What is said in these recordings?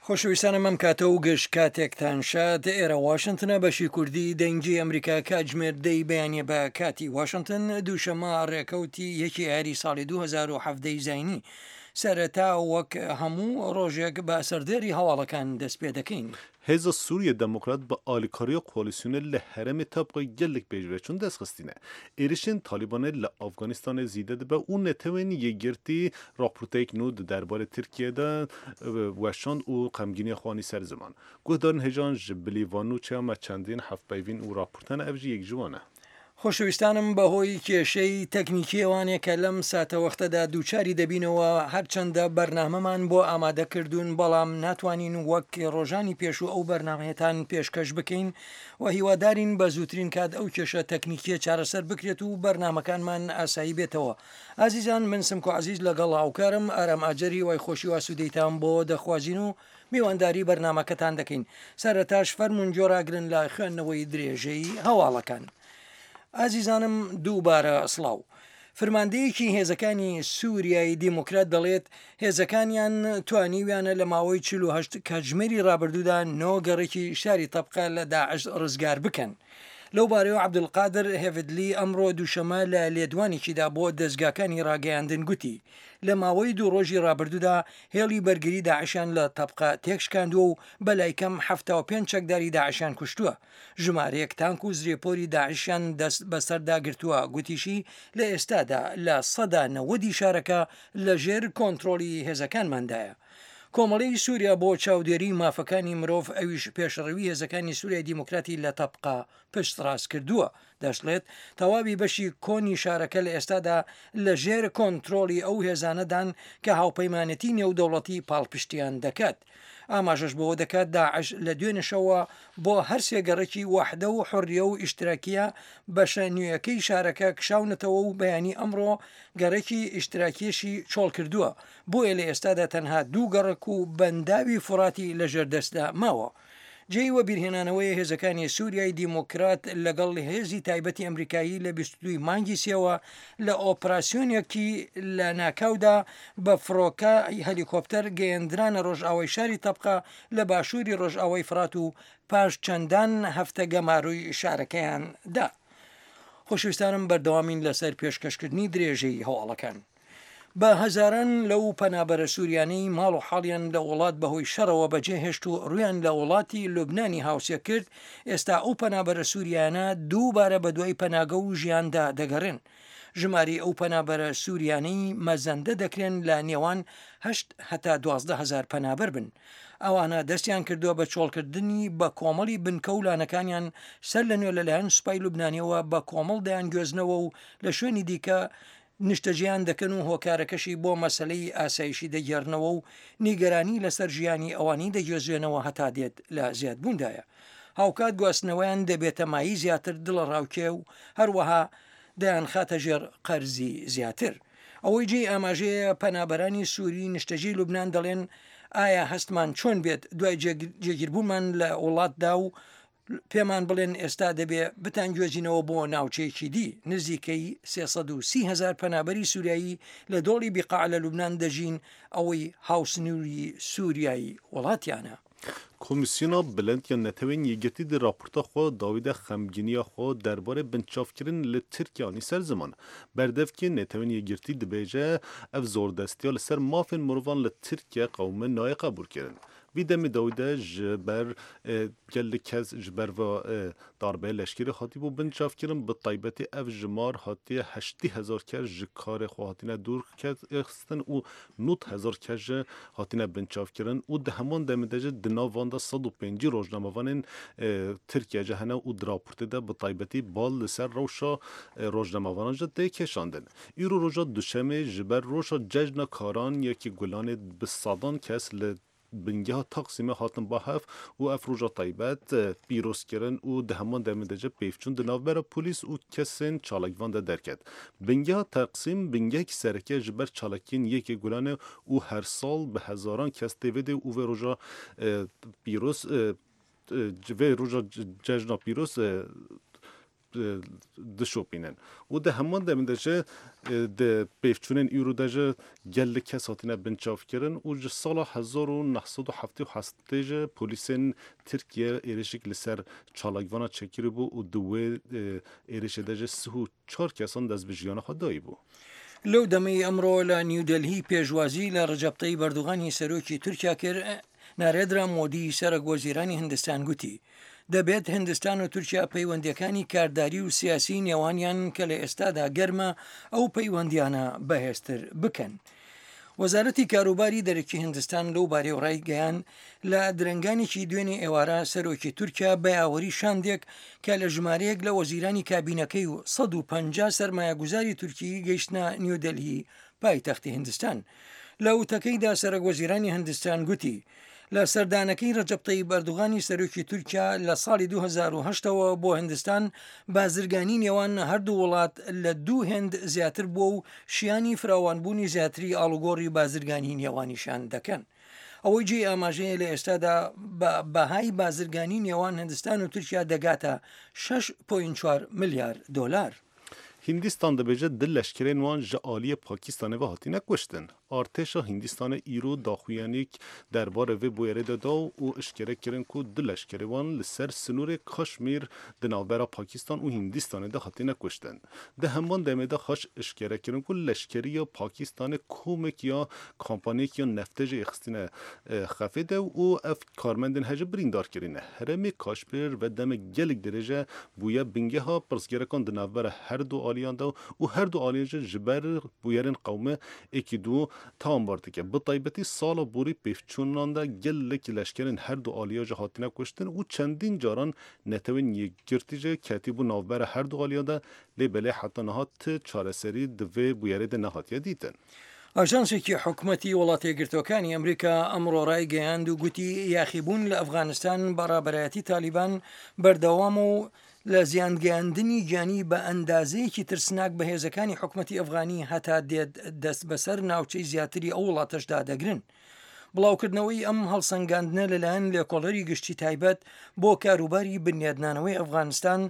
خۆشەویستانم ئەم کاتە و گشت کاتێکتان شاد ئێرە واشنتنە بەشی کوردی دەنگی ئەمریکا کاتژمێر دەی بەیانە بە کاتی واشنتن دووشەمە ڕێکەوتی یەکی ئایاری ساڵی 2017 زینی سەرەتا وەک هەموو ڕۆژێک بە سەردێری هەواڵەکان دەست پێ دەکەین. Hêza Sûriye Demokrat bi alîkariya koalîsyonê li herêmê Tebqayê gelek pêşveçûn dest xistîne. Êrişên Talîbanê li Afganîstanê zîde dibe û Netewên Yekgirtî raporteyek nû di derbarê Tirkiyeyê de weşand û xemgîniya xwe anî ser ziman. Guhdarên hêjan ji bilî van nûçeyan me çendîn hevpeyvîn û raporte hene ev jî yek ji wan e. خۆشەویستانم بەهۆی کێشەی تەکنیکیەوانێ کە لەم ساتەوەختەدا دووچاری دەبینەوە هەرچەندە بەرنامەمان بۆ ئامادە کردوون بەڵام ناتوانین وەک ڕۆژانی پێشوو ئەو بەرنامەیەتان پێشکەش بکەین و هیوادارین بە زووترین کات ئەو کێشە تەکنیکیە چارەسەر بکرێت و بەرنامەکانمان ئاسایی بێتەوە ئازیزان من سمکۆ عەزیز لەگەڵ هاوکارم ئارام ئاجەر هیوای خۆشی و ئاسوودەیتان بۆ دەخوازین و میوانداری بەرنامەکەتان دەکەین. سەرەتاش فەرموون گوێڕاگرن لە خوێندنەوەی درێژەی هەواڵەکان. ئازیزانم دووبارە سڵاو. فرماندەیەکی هێزەکانی سووریای دیموکرات دەڵێت هێزەکانیان توانیویانە لە ماوەی 48 کاتژمێری ڕابردوودا نۆ گەڕێکی شاری تەبقە لە داعش ڕزگار بکەن. لەو بارەیەوە عەبدولقادر هێڤدلی ئەمڕۆ دووشەمە لە لێدوانێکیدا بۆ دەزگاکانی ڕاگەیاندن گوتی لە ماوەی دوو ڕۆژی ڕابردوودا هێڵی بەرگری داعشیان لە تەبقە تێکشکاندووە و بەلایکەم 75 چەکداری داعشیان کوشتووە، ژمارەیەک تانک و زرێپۆری داعشیان دەست بەسەردا گرتووە، گوتیشی لە ئێستادا 90% ی شارەکە لەژێر کۆنترۆڵی هێزەکانماندایە. کۆمەڵەی سووریا بۆ چاودێریی مافەکانی مرۆڤ ئەویش پێشڕەوی هێزەکانی سووریای دیموکراتی لە تەبقە پشتڕاستکردووە، دەشڵێت، تەواوی بەشی کۆنی شارەکە لە ئێستادا لە ژێر کۆنترۆڵی ئەو هێزانەدان کە هاوپەیمانێتی نێودەوڵەتی پاڵپشتیان دەکات. ئاماژەش بەوە دەکات، داعش لە دوێنێشەوە بۆ هەرسێ گەڕەکی وەحدە و حوڕیە و ئیشتراکیە بەشە نوێیەکەی شارەکە کشاونەتەوە و بەیانی ئەمڕۆ گەڕەکی ئیشتراکیەشی چۆڵکردووە، بۆیە لە ئێستادا تەنها دوو گەڕەک و بەنداوی فوڕاتی لەژێر دەستدا ماوە. جێی وەبیرهێنانەوەیە هێزەکانی سوریای دیموکرات لەگەڵ هێزی تایبەتی ئەمریکایی لە 22 ی مانگی سێوە لە ئۆپراسیۆنێکی لەناکاودا بە فڕۆکە هەلیکۆپتەر گەیەندرانە ڕۆژئاوای شاری تەبقە لە باشووری ڕۆژئاوای فڕات و پاش چەندان هەفتە گەمارۆی شارەکەیان دا. خۆشەویستانم بەردەوامین لەسەر پێشکەشکردنی درێژەی هەواڵەکان. بە هەزاران لەو پەنابەرە سووریانەی ماڵ و حاڵیان لە وڵات بەهۆی شەڕەوە بەجێهێشت و ڕوویان لە وڵاتی لوبنانی هاوسێ کرد، ئێستا ئەو پەنابەرە سووریانە دووبارە بەدوای پەناگە و ژیاندا دەگەڕێن. ژمارەی ئەو پەنابەرە سووریانەی مەزەندە دەکرێن لە نێوان هەشت هەتا 12 هەزار پەنابەر بن. ئەوانە دەستیان کردووە بە چۆڵکردنی بە کۆمەڵی بنکە و لانەکانیان سەر لە نوێ لەلایەن سوپای لوبنانیەوە بە کۆمەڵ دەیانگوێزنەوە و لە شوێنی دیکە نیشتەجێیان دەکەن و هۆکارەکەشی بۆ مەسەلەی ئاسایشی دەگێڕنەوە و نیگەرانی لەسەر ژیانی ئەوانی دەگوێزرێنەوە هەتا دێت لە زیادبووندایە. هاوکات گواستنەوەیان دەبێتە مایەی زیاتر دڵەڕاوکێ و هەروەها دەیانخاتە ژێر قەرزی زیاتر. ئەوەی جێی ئاماژەیە پەنابەرانی سووری نیشتەجێی لوبنان دەڵێن ئایا هەستمان چۆن بێت دوای جێگیربوونمان لە وڵاتدا و پێمان بڵێن ئێستا دەبێ بتانگوێزینەوە بۆ ناوچەیەکی دی. نزیکەی 330 هەزار پەنابەری سوریایی لە دۆڵی بیقاع لە لوبنان دەژین، ئەوەی هاوسنووری سوریای وڵاتیانە. Komîsyona Bilind ya Neteweyên Yekgirtî di raporta xwe dawî de xemgîniya xwe derbarê binçavkirin li Tirkiye anî ser ziman. Berdevkê Neteweyên Yekgirtî dibêje ev zordestiya li ser mafên mirovan li Tirkiye qewime nayê qebûlkirin. Vî demê dawî de ji ber gelek kes ji ber ve darbeya leşkerî hatibû binçavkirin, bi taybetî ev jimar hatiye 80,000 kes ji karê xwe hatine dûr xistin û 90,000 kes jî hatine binçavkirin û di heman demê de jî di nav wan de 150 rojnamevanên Tirkiye jî hene û di raportê de bi taybetî bal li ser rewşa rojnamevanan jî tê kêşandin. Îro roja duşemê ji ber roja cejna karan yekî Gulanê bi sedan kes li bingeha Taksîmê hatin ba hev û ev roja taybet pîroz kirin û di heman demê de jî pêvçûn di navbera polîs û kesên çalakvan de derket. Bingeha Taksîm bingehekî sereke ji ber çalakiyên yekê Gulanê û her sal bi hezaran kes tê vê dê û vê roja pîroz vê roja cejna pîroz. dişopînin û di heman demê de jî di pêvçûnên îro de jî gelek kes hatine binçavkirin û ji sala 1978 jî polîsên Tirkiye êrişek li ser çalakvana çêkiribû û di wê êrişê de jî 34 kesan dest bi jiyana xwe dayîbû. لەو دەمەی ئەمڕۆ لە نیودەلهی پێشوازی لە ڕەجەب تەیب ئەردۆغانی سەرۆکی تورکیا کرد، نارێدرا مۆدی سەرەک وەزیرانی هندستان گوتی، دەبێت هندستان و تورکیا پەیوەندییەکانی کارداری و سیاسی نێوانیان کە لە ئێستادا گەرمە، ئەو پەیوەندییانە بەهێزتر بکەن. وەزارەتی کاروباری دەرەکی هندستان لەو بارەیەوە ڕایگەیاند، لە درەنگانێکی دوێنێ ئێوارە سەرۆکی تورکیا بە یاوەری شاندێک کە لە ژمارەیەک لە وەزیرانی کابینەکەی و 150 سەرمایەگوزاری تورکی گەیشتنە نیودەلهی پایتەختی هندستان. لە وتەکەیدا سەرەک وەزیرانی هندستان گوتی، لە سەردانەکەی رەجەب تەیب ئەردوغانی سەرۆکی تورکیا لە ساڵی 2008 ەوە بۆ هندستان بازرگانی نێوان هەردوو وڵات لە دوو هێند زیاتر بووە و شیانی فراوانبوونی زیاتری ئاڵوگۆڕی بازرگانی نێوانیشان دەکەن. ئەوەی جێی ئاماژەیە لە ئێستادا بە بەهای بازرگانی نێوان هندستان و تورکیا دەگاتە 6.4 ملیار دۆلار. Hîndîstan dibêje du leşkerên wan ji aliyê Pakîstanê ve hatine kuştin. Artêşa Hîndîstanê îro daxuyaniyek derbarê vê bûyerê de da û eşkere kirin ku du leşkerê wan li ser sinorê Kaşmîr di navbera Pakîstan û Hîndîstanê de hatine kuştin. Di heman demê de xaş eşkere kirin ku leşkeriya Pakîstanê komek ya kampaniyek ya neftê jî êxistine xefê de û ev karmendên hejî birîndar kirine. Herêmê Kaşmîr ve demek gelek dirêj e bûye bingeha pirsgêrekan di navbera her du aliyan de û her du aliyan jî ji ber bûyerên qewmi êkî du tawanbar dike. Bi taybetî sala borî pêvçûnan de gelek leşkerên her du aliya jî hatine kuştin û çendîn caran Netewên Yekgirtî jî ketîbû navbera her du aliyan de lê belê heta niha ti çareserî di vê bûyerê de nehatiye dîtin. ئاژانسێکی حکومەتی وڵاتەیەکگرتووەکانی ئەمریکا ئەمڕۆ ڕایگەیاند و گوتی یاخیبوون لە ئەفغانستان بە ڕابەرایەتی تالیبان بەردەوامە و لە زیانگەیاندنی گیانی بە ئەندازەیەکی ترسناک بە هێزەکانی حکومەتی ئەفغانی هەتا دێت دەست بەسەر ناوچەی زیاتری ئەو وڵاتەشدا دەگرن. بڵاوکردنەوەی ئەم هەڵسەنگاندنە لەلایەن لێکۆڵەری گشتی تایبەت بۆ کاروباری بنیادنانەوەی ئەفغانستان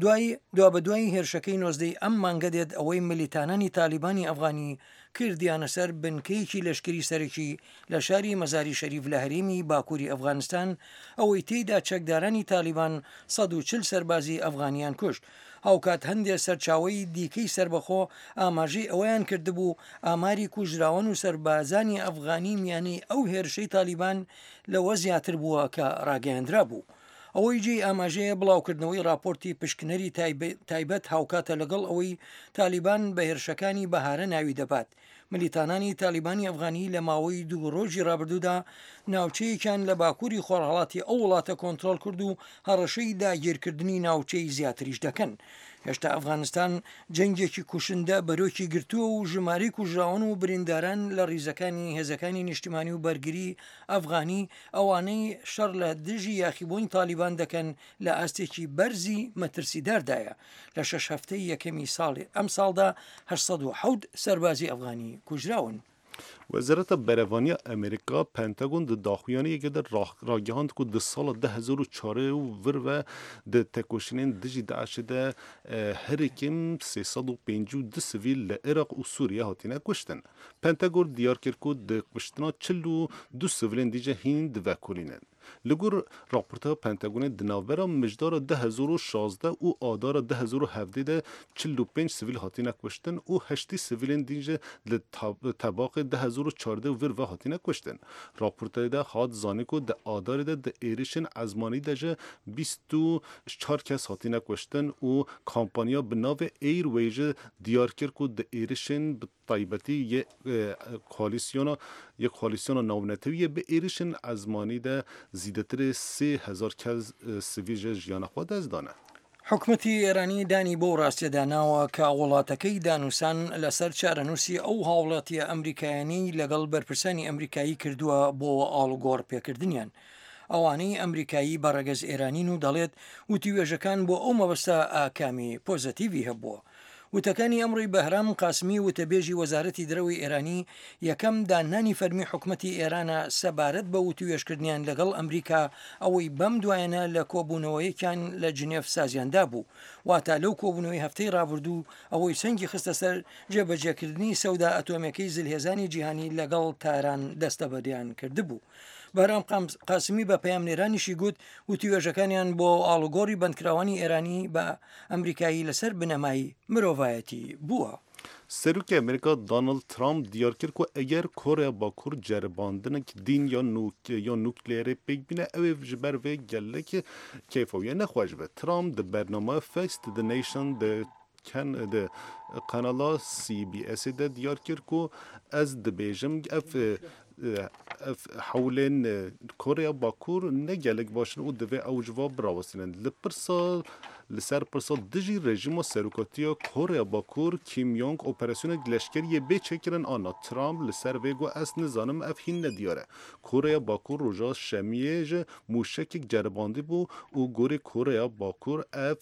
دوای دوابەدوای هێرشەکەی نۆزدەی ئەم مانگە دێت ئەوەی ملیتانانی تالیبانی ئەفغانی کردیانە سەر بنکەیەکی لەشکری سەرەکی لە شاری مەزاری شەریف لە هەرێمی باکووری ئەفغانستان ئەوەی تێیدا چەکدارانی تالیبان 140 سەربازی ئەفغانیان کوشت. هاوکات هەندێ سەرچاوەی دیکەی سەربەخۆ ئاماژەی ئەوەیان کردبوو ئاماری کوژراوان و سەربازانی ئەفغانی میانەی ئەو هێرشەی تالیبان لەوە زیاتر بووە کە ڕاگەیەندرابوو. ئەوەی جێی ئاماژەیە بڵاوکردنەوەی ڕاپۆرتی پشکنەری تایبەت هاوکاتە لەگەڵ ئەوەی تالیبان بە هێرشەکانی بەهارە ناوی دەبات ملیتانانی تالیبانی ئەفغانی لە ماوەی دوو ڕۆژی ڕابردوودا ناوچەیەکیان لە باکووری خۆرهەڵاتی ئەو وڵاتە کۆنترۆڵ کرد و هەڕەشەی داگیرکردنی ناوچەی زیاتریش دەکەن. هێشتا ئەفغانستان جەنگێکی کوشندە بەرۆکی گرتووە و ژمارەی کوژراوان و برینداران لە ڕیزەکانی هێزەکانی نیشتیمانی و بەرگری ئەفغانی ئەوانەی شەڕ لە دژی یاخیبوونی تالیبان دەکەن لە ئاستێکی بەرزی مەترسیداردایە. لە شەش هەفتەی یەکەمی ساڵی ئەمساڵدا 807 سەربازی ئەفغانی کوژراون. Wezareta Berevaniya Amerîka Pentagon di daxuyaniyekê de ragihand ku di sala 2004 û vir ve di tekoşînên dijî DAIŞ'ê de herî kêm 352 sivîl li Iraq û Sûriye hatine kuştin. Pentagon diyar kir ku di kuştina 42 sivilên dî jî hîn divekolînin. Li gor raporta Pentagonê di navbera mijdara 2016 û adara 2017 de 45 sivîl hatine kuştin û 80 sivîlên din jî li tebaqê 2014 û vir ve hatine kuştin. Raportayê de hat zanîn ku di adarê de di êrişên ezmanî de jî 24 kes hatine kuştin û kampanya bi navê Airway jî diyar kir ku di êrişên bi taybetî yê koalîsyona yê koalîsyona navnetewî yê bi êrişên ezmanî de zêdetirê 3000 kes sivîl ji jiyana xwe dest dane. حکومەتی ئێرانی دانی بەو ڕاستیەدا ناوە کە وڵاتەکەی دانوسان لەسەر چارەنووسی ئەو هاوڵاتیە ئەمریکایانەی لەگەڵ بەرپرسانی ئەمریکایی کردووە بۆ ئاڵوگۆڕ پێکردنیان ئەوانەی ئەمریکایی بە ڕەگەز ئێرانین و دەڵێت وتوێژەکان بۆ ئەو مەبەستە ئاکامی پۆزەتیڤی هەبووە. وتەکانی ئەمڕۆی بەهرام قاسمی وتەبێژی وەزارەتی دەرەوەی ئێرانی یەکەم داننانی فەرمی حکومەتی ئێرانە سەبارەت بە وتووێژکردنیان لەگەڵ ئەمریکا ئەوەی بەم دوایەنە لە کۆبوونەوەیەکیان لە جنێف سازیان دابوو واتا لەو کۆبوونەوەی هەفتەی ڕابردوو ئەوەی سەنگی خستە سەر جێبەجێکردنی سەودا ئەتۆمیەکەی زلهێزانی جیهانی لەگەڵ تاران دەستەبەریان کردبوو. بەهرام قاسمی بە پەیامنێرانیشی گوت وتوێژەکانیان بۆ ئاڵوگۆڕی بەندکراوانی ئێرانی بە ئەمریکایی لەسەر بنەمای مرۆڤایەتی بووە. سەرۆکی ئەمریکا دانڵد ترامپ دیار کرد ku eger Koreya Bakur ceribandinek dîn ya nukleerê pêk bîne ew ê ji ber vê gelek keyfa wî ne xweş be. Trump di bernameya Face to the Nation di di kanala CBSê de diyar kir ku ez dibêjim ev ev hewlên Koreya Bakur ne gelek baş in û divê ew ji va birawestînin. Li pirsa li ser pirsa dijî rejîma serokatiya Koreya Bakur Kim Jong operasyonek leşkeriyê bê çêkirin a na Trump li ser vê got ez nizanim ev hîn ne diyar e. Koreya Bakur roja şemiyê ji mûşekek ceribandî bû û gorî Koreya Bakur ev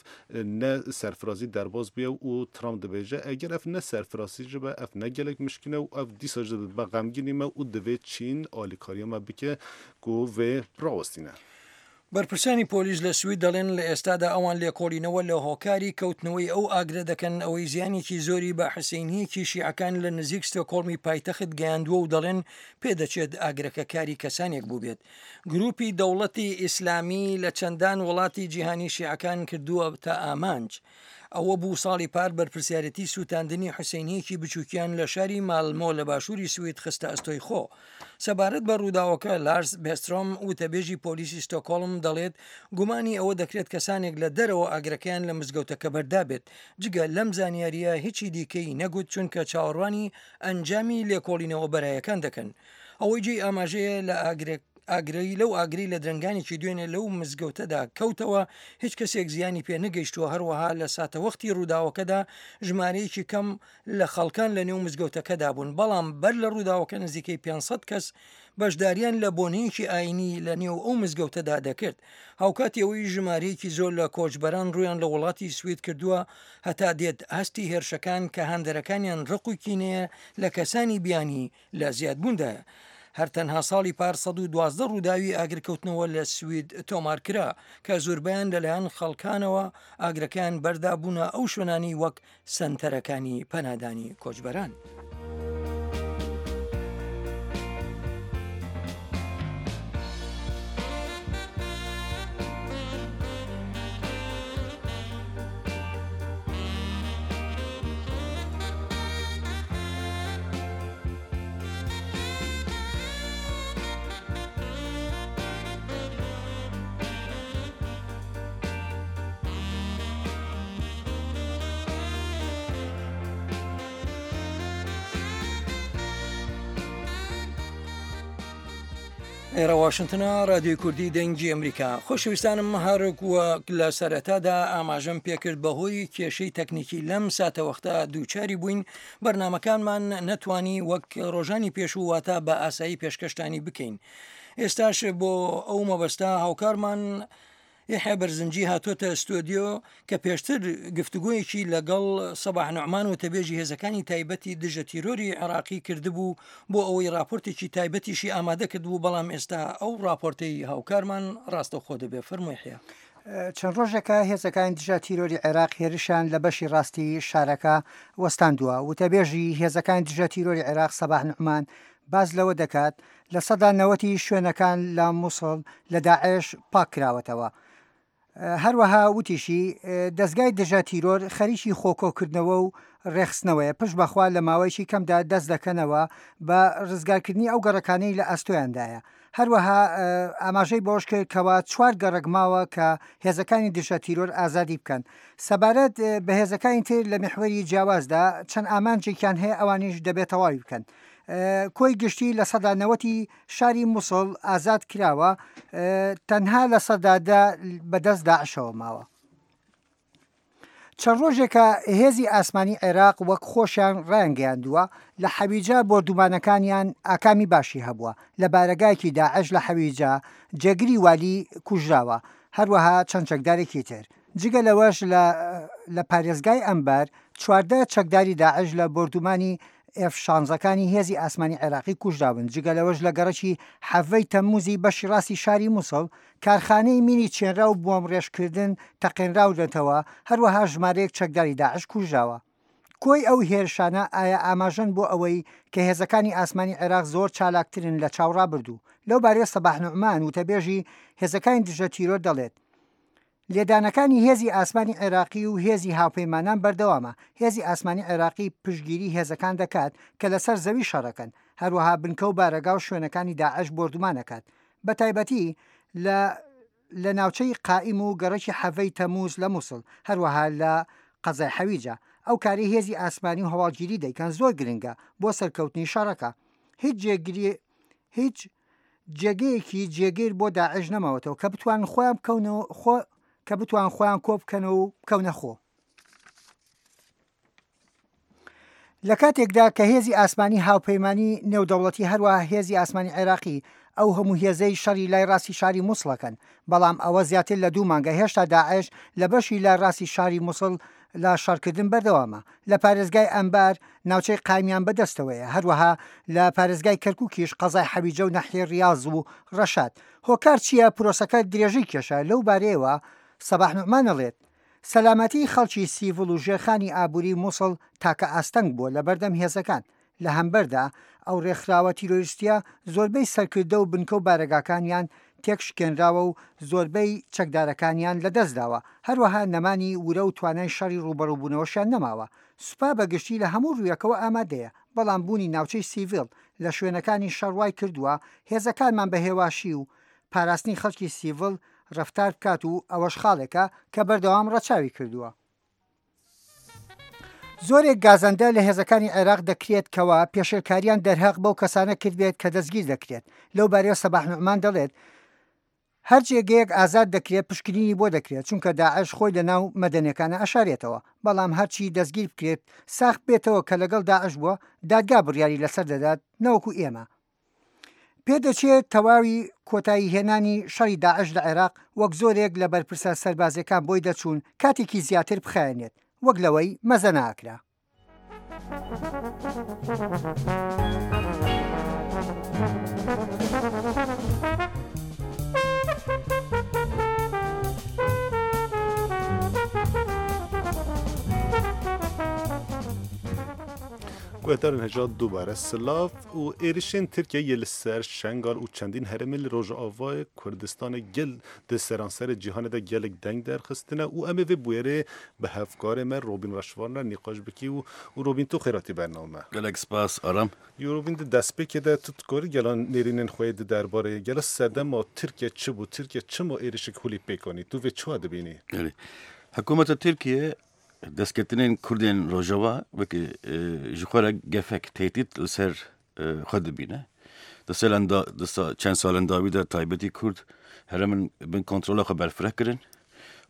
ne serfirazî derbas bûye û Trump dibêje eger ev ne serfirazî jî be ev ne gelek mişkîn e û ev dîsa jî dibe xemgînî me û divê Çîn alîkariya me bike ku vê rawestîne. بەرپرسانی پۆلیس لە سوید دەڵێن لە ئێستادا ئەوان لێکۆڵینەوە لە هۆکاری کەوتنەوەی ئەو ئاگرە دەکەن ئەوەی زیانێکی زۆری بە حسەینییەکی شیعەکان لە نزیک ستۆکۆڵمی پایتەخت گەیاندووە و دەڵێن پێدەچێت ئاگرەکە کاری کەسانێک بووبێت گروپی دەوڵەتی ئیسلامی لە چەندان وڵاتی جیهانی شیعەکان کردووەتە ئامانج. ئەوە بوو ساڵی پار بەرپرسیارێتی سووتاندنی حوسەینییەکی بچووکیان لە شاری مالمۆ لە باشووری سوید خستە ئەستۆی خۆ. سەبارەت بە ڕووداوەکە لارس بێسترۆم وتەبێژی پۆلیسی ستۆکۆڵم دەڵێت گومانی ئەوە دەکرێت کەسانێک لە دەرەوە ئاگرەکەیان لە مزگەوتەکە بەردابێت. جگە لەم زانیارییە هیچی دیکەی نەگوت چونکە چاوەڕوانی ئەنجامی لێکۆڵینەوە بەرایەکان دەکەن. ئەوەی جێی ئاماژەیە لە ئاگرەی لەو ئاگرەی لە درەنگانێکی دوێنێ لەو مزگەوتەدا کەوتەوە هیچ کەسێک زیانی پێ نەگەیشتووە، هەروەها لە ساتەوەختی ڕووداوەکەدا ژمارەیەکی کەم لە خەڵکان لە نێو مزگەوتەکەدا بوون، بەڵام بەر لە ڕووداوەکە نزیکەی 500 کەس بەشداریان لە بۆنەیەکی ئایینی لە نێو ئەو مزگەوتەدا دەکرد. هاوکاتی ئەوەی ژمارەیەکی زۆر لە کۆچبەران ڕوویان لە وڵاتی سوید کردووە، هەتا دێت ئاستی هێرشەکان کە هاندەرەکانیان ڕق و کینەیە لە کەسانی بیانی لە زیادبووندایە. هەر تەنها ساڵی پار 112 ڕووداوی ئاگرکەوتنەوە لە سوید تۆمارکرا کە زۆربەیان لەلایەن خەڵکانەوە ئاگرەکەیان بەردابوونە ئەو شوێنانەی وەک سەنتەرەکانی پەنادانی کۆچبەران. ئێرە واشنتنە رادیۆی کوردی دەنگی ئەمریکا خۆشەویستانم هەرک وەک لە سەرەتادا ئاماژەم پێکرد بەهۆی کێشەی تەکنیکی لەم ساتەوەختە دووچاری بووین بەرنامەکانمان نەتوانی وەک ڕۆژانی پێشوو واتە بە ئاسایی پێشکەشتانی بکەین ئێستاش بۆ ئەو مەبەستە هاوکارمان یحیا بەرزنجی هاتۆتە ستۆدیۆ کە پێشتر گفتوگۆیەکی لەگەڵ سەباح نوعمان وتەبێژی هێزەکانی تایبەتی دژە تیرۆری عێراقی کردبوو بۆ ئەوەی راپۆرتێکی تایبەتیشی ئامادە کردبوو بەڵام ئێستا ئەو راپۆرتەی هاوکارمان ڕاستەوخۆ دەبێت فەرموو یحیا. چەند ڕۆژێکە هێزەکانی دژە تیرۆری عێراق هێرشیان لە بەشی ڕاستی شارەکە وەستاندووە. وتەبێژی هێزەکانی دژە تیرۆری عێراق سەباح نوعمان باس لەوە دەکات، 90% ی شوێنەکان لە موسڵ لە داعش پاککراوەتەوە. هەروەها وتیشی، دەزگای دژە تیرۆر خەریکی خۆکۆکردنەوە و ڕێکخستنەوەیە، پشت بەخوا لە ماوەیەکی کەمدا دەست دەکەنەوە بە ڕزگارکردنی ئەو گەڕەکانەی لە ئەستۆیاندایە. هەروەها ئاماژەی بەوەشکرد کەوا چوار گەڕەک ماوە کە هێزەکانی دژە تیرۆر ئازادی بکەن. سەبارەت بە هێزەکانی تر لە میحوەری جیاوازدا چەند ئامانجێکیان هەیە ئەوانیش دەبێت تەواوی بکەن. کۆی گشتی 90% ی شاری موسڵ ئازاد کراوە، تەنها 10% بەدەست داعشەوە ماوە. چەند ڕۆژێکە هێزی ئاسمانی عێراق وەک خۆشیان ڕایانگەیاندووە، لە حەویجە بۆردومانەکانیان ئاکامی باشی هەبووە، لە بارەگایەکی داعش لە حەویجە جێگری والی کوژراوە، هەروەها چەند چەکدارێکی تر. جگە لەوەش لە لە پارێزگای ئەنبار 14 چەکداری داعش لە بۆردومانی ئێف شانزەکانی هێزی ئاسمانی عێراقی کوژراون، جگە لەوەش لە گەڕەکی حەڤەی تەمموزی بەشی ڕاستی شاری موسڵ، کارخانەی مینی چێنراو بۆمڕێژکردن تەقێنراونەتەوە، هەروەها ژمارەیەک چەکداری داعش کوژراوە. کۆی ئەو هێرشانە ئایا ئاماژەن بۆ ئەوەی کە هێزەکانی ئاسمانی عێراق زۆر چالاکترن لە چاو ڕابردوو؟ لەو بارەیە سەباح نوعمان وتەبێژی هێزەکانی دژە تیرۆر دەڵێت، لێدانەکانی هێزی ئاسمانی عێراقی و هێزی هاوپەیمانان بەردەوامە، هێزی ئاسمانی عێراقی پشتگیری هێزەکان دەکات کە لەسەر زەوی شەڕەکەن، هەروەها بنکە و بارەگا و شوێنەکانی داعش بۆردومان ئەکات، بەتایبەتی لە لە ناوچەی قائیم و گەڕەکی حەڤەی تەموز لە موسڵ، هەروەها لە قەزای حەویجە. ئەو کارەی هێزی ئاسمانی و هەواڵگیری دەیکەن زۆر گرنگە بۆ سەرکەوتنی شەڕەکە. هیچ جێگری هیچ جێگەیەکی جێگیر بۆ داعش نەماوەتەوە کە بتوانن خۆیان بکەونەوە خۆ کە بتوان خۆیان کۆ بکەنەوە و بکەونە خۆ. لە کاتێکدا کە هێزی ئاسمانی هاوپەیمانی نێودەوڵەتی هەروەها هێزی ئاسمانی عێراقی ئەو هەموو هێزەی شەڕی لای ڕاستی شاری موسڵەکەن، بەڵام ئەوە زیاتر لە دوو مانگە هێشتا داعش لە بەشی لای ڕاستی شاری موسڵ لە شەڕکردن بەردەوامە. لە پارێزگای ئەنبار ناوچەی قایمیان بەدەستەوەیە، هەروەها لە پارێزگای کەرکوکیش قەزای حەویجە و ناحیەی ڕیاز و ڕەشاد. هۆکار چییە پرۆسەکە درێژەی کێشا؟ لەو بارەیەوە سەباح نوعمان ئەڵێت، سەلامەتیی خەڵکی سیڤڵ و ژێرخانی ئابووریی موسڵ تاکە ئاستەنگ بووە لەبەردەم هێزەکان، لە هەمبەردا ئەو رێکخراوە تیرۆریستییە زۆربەی سەرکردە و بنکە و بارەگاکانیان تێکشکێنراوە و زۆربەی چەکدارەکانیان لەدەستداوە، هەروەها نەمانی ورە و توانای شەڕی رووبەڕووبوونەوەشیان نەماوە. سوپا بە گشتی لە هەموو روویەکەوە ئامادەیە، بەڵام بوونی ناوچەی سیڤیل لە شوێنەکانی شەڕ وایکردووە هێزەکانمان بە هێواشی و پاراستنی خەڵکی سیڤڵ ڕەفتار بکات و ئەوەش خاڵێکە کە بەردەوام ڕەچاوی کردووە. زۆرێک گازەندە لە هێزەکانی عێراق دەکرێت کەوا پێشێلکاریان دەرهەق بەو کەسانە کردبێت کە دەستگیر دەکرێت. لەو بارەیەوە سەباح نوعمان دەڵێت، هەر جێگەیەک ئازاد دەکرێت پشکنینی بۆ دەکرێت، چونکە داعش خۆی لەناو مەدەنیەکانە ئەشارێتەوە، بەڵام هەرچی دەستگیر بکرێت ساخ بێتەوە کە لەگەڵ داعش بووە دادگا بڕیاری لەسەر دەدات نەوەکو ئێمە. پێدەچێت تەواوی کۆتایی هێنانی شەڕی داعش لە عێراق وەک زۆرێک لە بەرپرسە سەربازیەکان بۆی دەچوون کاتێکی زیاتر بخایەنێت وەک لەوەی مەزەنە ئەکرا. Guhdarên hêja dubare silav û êrişên Tirkiyeyê yê li ser Şengal û çendîn herêmên li Rojavayê Kurdistanê gel di seranserê cîhanê de gelek deng derxistine û em ê vê bûyerê bi hevkarê me Robîn Reşvan re nîqaş bikî û û Robîn tu xêratî bername. Gelek spas Aram. Yo Robîn di destpêkê de tu dikarî gela nêrînên xwe yê di derbarê gela sedema Tirkiye çi bû, Tirkiye çima êrişek holî pêk anî, tu vê çawa dibînî? Erê. Hikûmeta Tirkiyê Destketinên Kurdên Rojava wekî ji xwe re gefek, tehdît li ser xwe dibîne. Di salen da di çend salen dawî de taybetî Kurd herêmên bin kontrola xwe berfireh kirin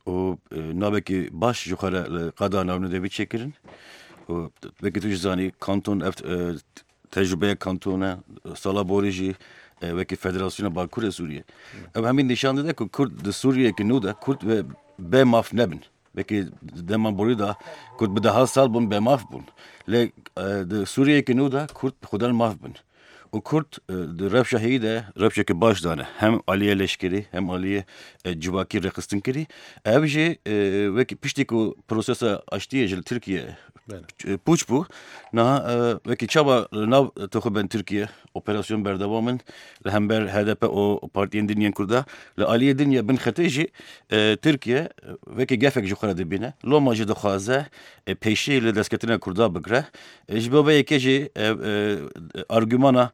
û navekî baş ji xwe re li qada navnedevî çêkirin. Û wekî tu jî zanî kanton ev tecrübeya kanton e, sala borî jî wekî Federasyona Bakurê Sûriyê. Ev hemî nîşan dide ku Kurd di Sûriyeyekî nû de Kurd ve bê maf nebin. Wekî di dema borî de Kurd bi deha sal bûn bêmaf bûn. Lê di Sûriyeyekî nû de Kurd xwedan maf bin. Û Kurd di rewşa heyî de rewşeke baş dane. Hem aliyê leşkerî hem aliyê civakî rêxistin kirî. Ev jî wekî piştî ku prosesa aştiyê ji li Tirkiye pûç bû niha wekî çawa li nav toxubên Tirkiye operasyon berdewam in li hember HDP û partiyên din yên Kurda li aliyê din ya bin xetê jî Tirkiye wekî gefek ji xwe re dibîne. Loma jî dixwaze pêşî li destketina Kurda bigire. Ji bo vê yekê jî argûmana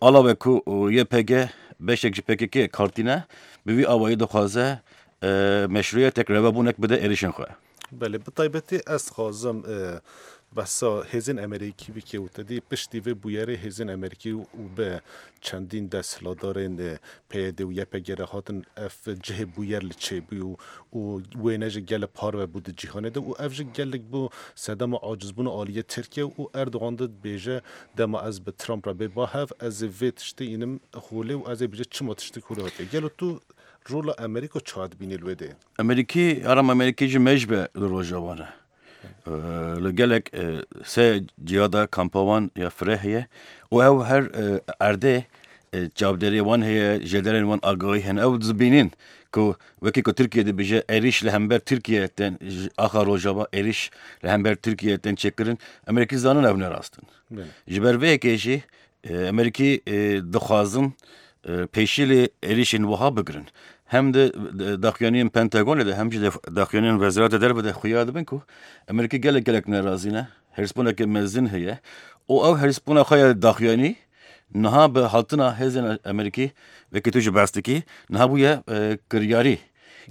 alawe ku YPG beşek ji PKK kartîne bi vî awayî dixwaze meşruiyetek rewabûnek bide êrişên xwe. Belê, bi taybetî ez dixwazim behsa hêzên Amerîkî bike û te dî piştî vê bûyerê hêzên Amerîkî û bi çendîn desthilatdarên PYD û YPG re hatin ev cihê bûyer li çêbû û wêne jî gelek parve bû di cîhanê de û ev jî gelek bû sedema acizbûna aliyê Tirkiye û Erdogan dibêje dema ez bi Trump re bê ba hev ez ê vê tiştê înim holê û ez ê bêje çima tiştek holê hatiye. Gelo tu. Rola Amerîka çawa dibînî li wê dê? Amerîkî, aram Amerîkî ji mêj be li Rojava ne. Li gelek sê ciya de kampa wan ya fireh heye û ew her erdê çavdêrê wan heye, jêderên wan agahî hene. Ew dibînin ku wekî ku Tirkiye dibêje êrîş li hember Tirkiye tên ji axa Rojava êrîş li hember Tirkiye tên çêkirin. Amerîkî zanin ew ne rast in. Ji ber vê yekê jî Amerîkî dixwazin pêşî li êrîşên wiha bigirin. Hem di daxuyaniyên Pentagonê de hem jî di daxuyaniyên Wezareta Derve de xuya dibin ku Amerîkî gelek gelek nerazî ne, hêrsbûneke mezin heye û ew hêrsbûna xwe ya daxuyanî niha bi hatina hêzên Amerîkî wekî tu jî behs dikî niha bûye kiryarî.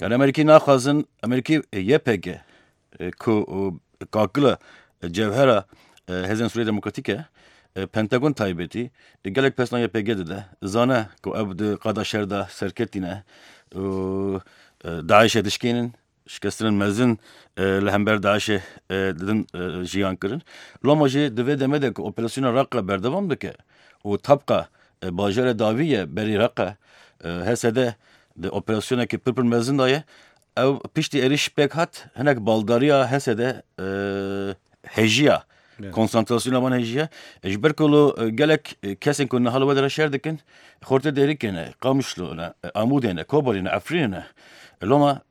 Yani Amerîkî naxwazin Amerîkî YPG ku kakila cewhera Hêzên Sûriya Demokratîk e, Pentagon taybetî gelek pesna YPG dide. Zane ku ew di qada şer de serketî ne û DAIŞ'ê dişkênin, şikestinên mezin li hember DAIŞ'ê didin jiyan kirin. Loma jî di vê demê de ku operasyona Raqqa berdewam dike û Tabqa bajarê dawî ye berî Raqqa, HSD di operasyonekî pir pir mezin de ye. Ew piştî êrîş pêk hat hinek baldariya HSD hejiya. Konsantrasyona wan hejiya. Ji ber ku li gelek kesên ku niha li we dere şer dikin xortê Dêrikê ne, Qamişlo ne, Amûdê ne, Kobanê ne, Efrînê ne. Loma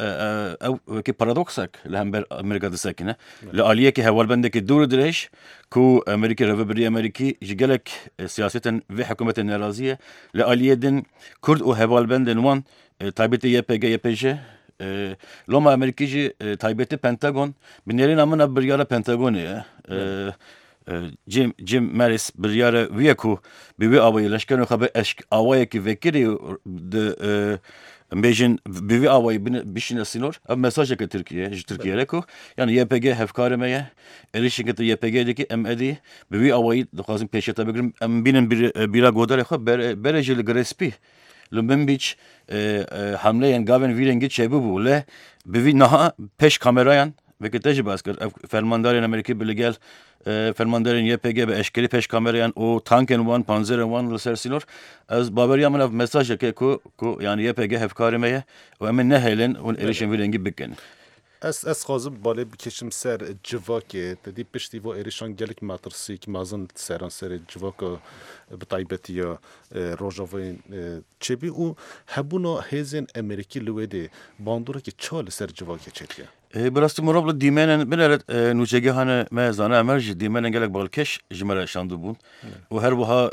ew wekî paradoksek li hember Amerîka disekine. Li aliyekî hevalbendekî dûr û dirêj ku Amerîkî rêvebirî Amerîkî ji gelek siyasetên vê hikûmetê nerazî ye. Li aliyê din Kurd û hevalbendên wan Taybetî YPG, YPJ, loma Amerîkî jî taybetî Pentagon bi nêrîna min ev biryara Pentagonê ye. Jim, Jim Mattis biryara wî ye ku bi wî awayî leşkerên xwe bi eşk awayekî vekirî di em bêjin bi wî awayî bişîne sînor. Ev mesajeke Tirkiye ji Tirkiye re ku yani YPG hevkarê me ye. Êrişeke tu YPG dikî em edî bi wî awayî dixwazin pêşiya te bigirin. Em bînin bîra godarê xwe berê jî li Girê Spî Li Minbîç hemleyên gavên vî rengî çêbûbû lê bi vî niha pêş kamerayan wekî te jî behs kir ev fermandarên Amerîkî bi li gel fermandarên YPG bi eşkerî pêş kamerayan û tankên wan panzerên wan li ser sînor ez baweriya min ev mesajeke ku ku yanî YPG hevkarê me ye û em ê nehêlin hûn êrişên vî rengî bikin. Ez ez dixwazim balê bikêşim ser civakê. Te dî piştî va êrişan gelek metirsîk mezin li seranserê civaka bi taybetî ya Rojavayê çêbî û hebûna hêzên Amerîkî li wê dê bandorekî ça li ser civakê çêdike? Bi rastî mirov li dîmenên binêre nûçegehane me Zana Emer jî dîmenên gelek balkêş ji me re şandibûn û her wiha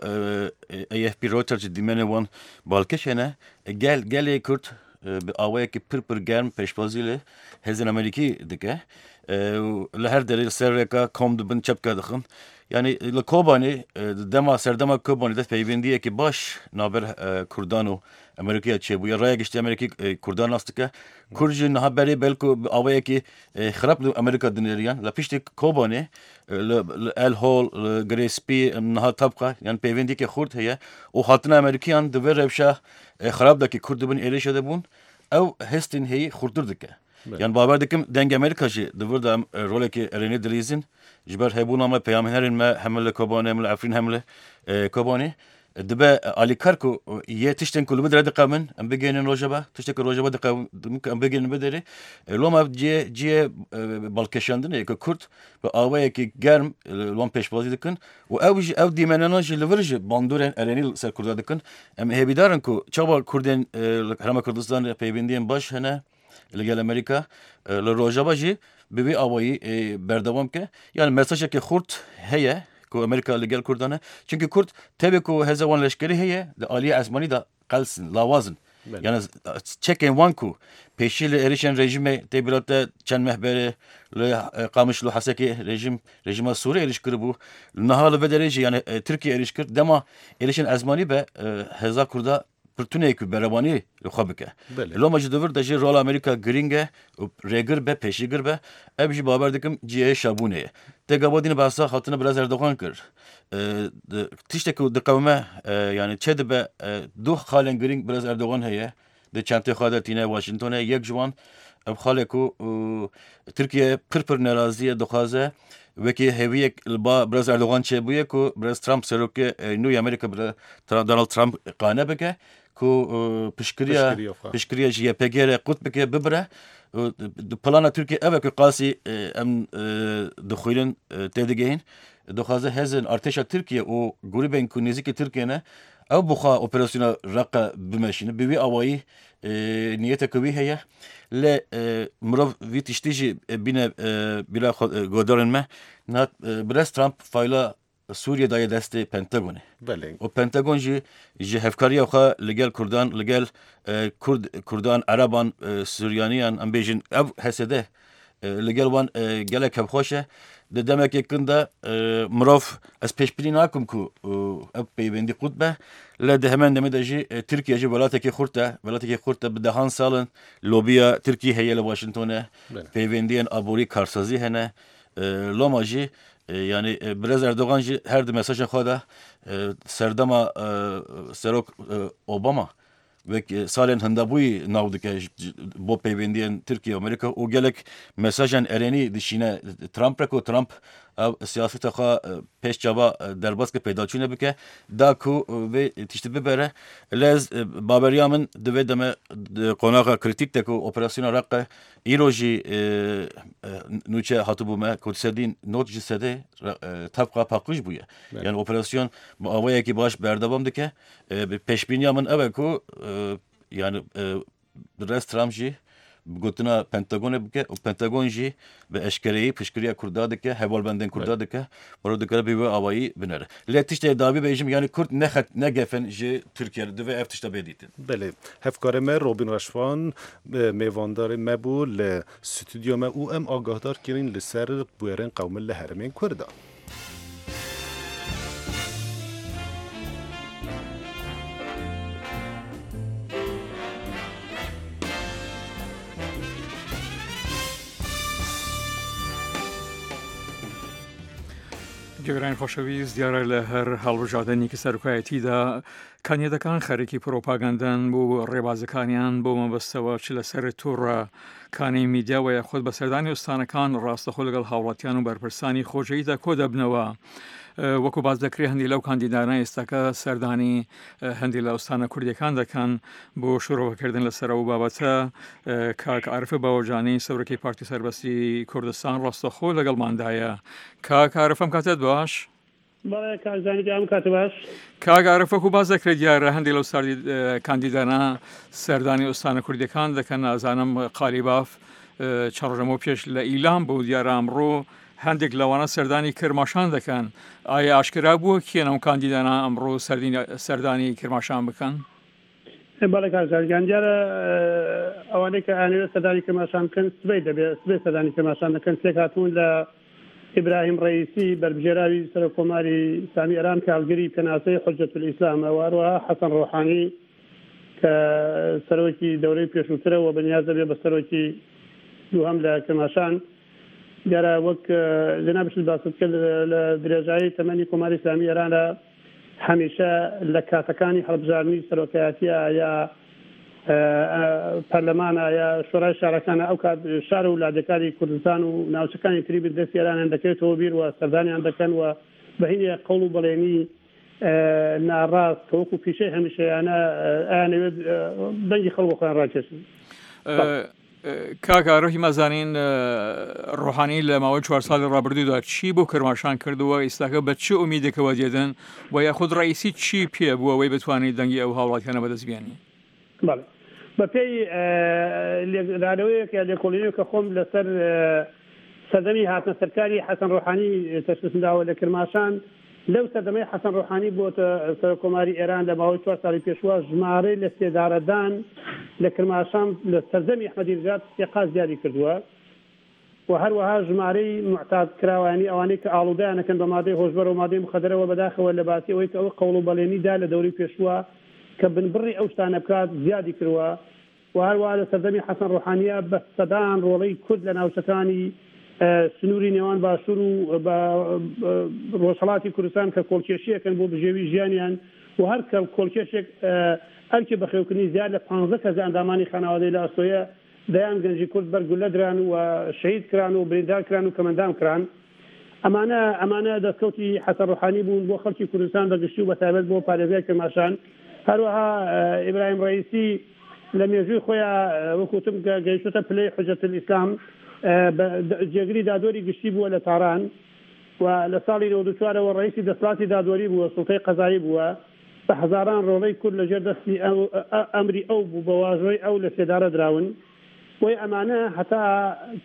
AFP Reuters jî dîmenên wan balkêş hene. Gel gelê Kurd bi awayekî pir pir germ pêşbazî li hêzên Amerîkî dike û li her derê li ser rêka kom dibin çepke dixin. Yanî li Kobanê di dema serdema Kobanê de peywendiyekî baş navber Kurdan û Amerîkiya çêbûye. Raya giştî Amerîkî Kurdan nas dike. Kurd jî niha berê belku bi awayekî xirab li Amerîka dinêriyan. Li piştî Kobanê li El Hol, li Girê Spî, niha Tabqa yan peywendiyekî xurt heye û hatina Amerîkiyan di vê rewşa Xirab de kî Kurd dibin êrişê de bûn, ew hestên heyî xurttir dike. Yan bawer dikim dengê Amerîka jî di vir de em rolekê erênî dilîzin. Ji ber hebûna me peyamhênerên me hem li Kobanê hem li Efrîn hem li Kobanê dibe alîkar ku yê tiştên ku li wir diqemin em bigihînin rojava, tiştên ku rojava diqemin em bigihînin bi derê. Loma ev cihê cihê balkêşandinê ye ku Kurd bi awayekî germ li wan pêşbazî dikin Û ew jî ew dîmenana jî li vir jî bandorên erênî li ser Kurda dikin. Em hêvîdar in ku çawa Kurdên li Herêma Kurdistanê peywendiyên baş hene li gel Amerîka li Rojava jî bi vî awayî berdewam bike. Yani mesajeke xurt heye ku Amerîka li gel Kurdan e. Çimkî Kurd tevî ku hêza wan leşkerî heye di aliyê esmanî de qels in, lawaz in. Yani çekên wan ku pêşî li êrişên rejîmê tê bîra te çend meh berê li Qamişlo Hesekê rejîm rejîma Sûrê êriş kiribû. Niha li vê derê jî yani Tirkiye êriş kir. Dema êrişên ezmanî be hêza Kurda pir tune ku berevanî li xwe bike. Loma ji di vir de jî rola Amerîka girîng e û rêgir be, pêşîgir be. Ev jî bawer dikim cihê şabûnê ye. Te gava dîn behsa hatina Birêz Erdogan kir. Tiştek ku diqewime yanî çê dibe du xalên girîng Birêz Erdogan heye di çentê xwe de tîne Washingtonê yek ji wan ev xalê ku Tirkiye pir pir nerazî ye dixwaze wekî hêviyek li ba Birêz Erdogan çêbûye ku Birêz Trump serokê nû yê Amerîka Donald Trump qane bike. ku piştgiriya piştgiriya ji YPG'ê re qut bike bibire plana Tirkiye ev e ku qasî em dixwînin tê digihîn dixwaze hêzên artêşa Tirkiye û grûbên ku nêzîkî Tirkiye ne ew bi xwe operasyona Reqe bimeşîne bi wî awayî niyeteke wî heye lê mirov vî tiştî jî bîne bîra xwe guhdarên me niha birêz Trump fayla Sûriye daye destê Pentagonê. Belê. Û Pentagon jî ji hevkariya xwe li gel Kurdan, li gel Kurd, Kurdan, Ereban, Suryaniyan em bêjin ev HSD li gel wan gelek hevxweş e. Di demekê kin de mirov ez pêşbînî nakim ku ev peywendî qut be. Lê di hemen demê de jî Tirkiye jî welatekî xurt e. Welatekî xurt e bi dehan sal in lobiya Tirkiyê heye li Washingtonê. Peywendiyên aborî karsazî hene. Loma jî yanî Birêz Erdogan jî her di mesajên xwe de serdema Serok Obama wek salên hindabûyî nav dike bo peywendiyên Tirkiye û Amerîka û gelek mesajên erênî dişîne Trump re ku Trump ew siyaseta xwe pêş çava derbas ke peydaçûne bike da ku vê tiştî bibere. Lê ez baweriya min di vê deme di qonaxa krîtîk de ku operasyona Reqe Îro jî nûçe hatibû me ku sedî not ji sedê tevqa paqij bûye. Yani operasyon bi awayekî baş berdewam dike. Pêşbîniya min ew e ku yani Birêz Trump jî bi gotina Pentagonê bike û Pentagon jî bi eşkereyî piştgiriya Kurda dike, hevalbendên Kurda dike. Mirov dikare bi wê awayî binere. Lê tiştê dawî bêjim yanî Kurd ne xet ne gefin ji Tirkiye re divê ev tişta bê dîtin. Belê. Hevkarê me Robîn Reşvan mêvandarê me bû li stûdyoya me û em agahdar kirin li ser bûyerên qewmin li herêmên Kurdan. گوێگرانی خۆشەویست دیارە لە هەر هەڵبژاردنێکی سەرۆکایەتیدا کاندیدەکان خەرێکی پرۆپاگەندەن بۆ ڕێبازەکانیان بۆ مەبەستەوە چ لەسەر تۆڕە کانی میدیا و یاخود بە سەردانی ئوستانەکان ڕاستەخۆ لەگەڵ هاوڵاتیان و بەرپرسانی خۆجێیدا کۆ دەبنەوە. وەکو باس دەکرێت هەندی لەو کاندیدانە ئێستاکە سەردانی هەندی لە ئوستانە کوردیەکان دەکەن بۆ شرۆڤەکردن لەسەر ئەو بابەتە کاک عارف باوەجانی سەرۆکی پارتی سەربەستی کوردستان ڕاستەخۆ لەگەڵماندایە کاک عارف ئەم کاتەت باش؟ بەڵێ کاک زانی گیان ئەم کاتە باش. کاک عارف وەکو باس دەکرێت دیارە هەندێک لەو کاندیدانە سەردانی ئوستانە کوردیەکان دەکەن ئازانم قالیباف چەند ڕۆژەمەوە پێش لە ئیلام بوو دیارە ئەمڕۆ هەندێک لەوانە سەردانی کرماشان دەکەن ئایا ئاشکرا بووە کێن ئەو کاندیدانە ئەمڕۆ سەردانی کرماشان بکەن؟ بەڵێ کاک ژار گیان دیارە ئەوانەی کە ئەیانەوێت سەردانی کرماشان بکەن سبەی دەبێت سبەی سەردانی کرماشان دەکەن پێکهاتوون لە ئیبراهیم ڕەئیسی بەربژێراوی سەرۆک کۆماری ئیسلامی ئێران کە هەڵگری پێناسەی حوجەتولئیسلامە و هەروەها حەسەن ڕۆحانی کە سەرۆکی دەورەی پێشووترە و بەنیاز دەبێت بە سەرۆکی دووهەم لە کرماشان. دیارە وەک جەنابیشت باست کرد لە درێژایی تەمەنی کۆماری ئیسلامی ئێراندا هەمیشە لە کاتەکانی هەڵبژاردنی سەرۆکایەتیە یا پەرلەمانە یا شۆرای شارەکانە ئەو کات شار و لادێکانی کوردستان و ناوچەکانی تری بن دەستی ئێرانیان دەکەوێتەوە بیر و سەردانیان دەکەن و بە هینێ قەوڵ و بەڵێنی ناڕاست کە وەکو پیشەی هەمیشەیانە ئەیانەوێت دەنگی خەڵک بۆ خۆیان ڕاکێشن. کاک ئارۆ هیما زانین ڕۆحانی لە ماوەی چوار ساڵی ڕابردوودا چی بۆ کرماشان کردووە ئیستاکە بە چ ئومیدێکەوە دێدن و یاخود ڕئیسی چی پێ بووە ئەوەی بتوانێت دەنگی ئەو هاوڵاتیانە بەدەست بێنی؟ بەڵێ بەپێی لێکدانەوەیەک یا لێکۆڵینەوەک کە خۆم لەسەر سەردەمی هاتنە سەرکاری حەسەن ڕۆحانی تەشخیصم داوە لە کرماشان، لەو سەردەمەی حەسەن ڕۆحانی بۆتە سەرۆک کۆماری ئێران لە ماوەی چوار ساڵی پێشووە ژمارەی لە سێدارەدان لە کرماشان لە سەردەمی ئەحمەدی نژاد سێ قات زیادی کردووە و هەروەها ژمارەی موعتاد کراوانی ئەوانەی کە ئاڵوودەیان ئەکەن بە مادەی هۆشبەر و مادەی موخەدەرەوە بەداخەوە لە باتی ئەوەی کە ئەو قەوڵ و بەڵێنی دا لە دەورەی پێشووە کە بنبڕی ئەو شتانە بکات زیادی کرووە و هەروەها لە سەردەمی حەسەن ڕۆحانییە بە سەدان ڕۆڵەی کورد لە ناوچەکانی سنووری نێوان باشوور و ڕۆژهەڵاتی کوردستان کە کۆڵکێشییەکەن بۆ بژێوی ژیانیان و هەر کۆڵکێشێک ئەرکی بەخێوکردنی زیاد لە پانزە کەس لە ئەندامانی خانەوادەی لە ئەستۆیە، دەیان گەنجی کورد بەر گوللە دران و شەهید کران و بریندار کران و کەمەندام کران. ئەمانە ئەمانە دەستکەوتی حەسەن ڕۆحانی بوون بۆ خەڵکی کوردستان بە گشتی و بە تایبەت بۆ پارێزگای کرماشان. هەروەها ئیبراهیم ڕەئیسی لە مێژووی خۆیا وەک وتم کە گەیشتۆتە پلەی حوجەت الئیسلام جێگری دادوەری گشتی بووە لە تاران و لە ساڵی 94 ەوە ڕەئیسی دەسەڵاتی دادوەری بووە، سوڵتەی قەزایی بووە. بە هەزاران ڕۆڵەی کورد لە ژێر دەستی ئەو ئەمری ئەو بوو بە واژۆی ئەو لە سێدارە دراون. بۆیە ئەمانە هەتا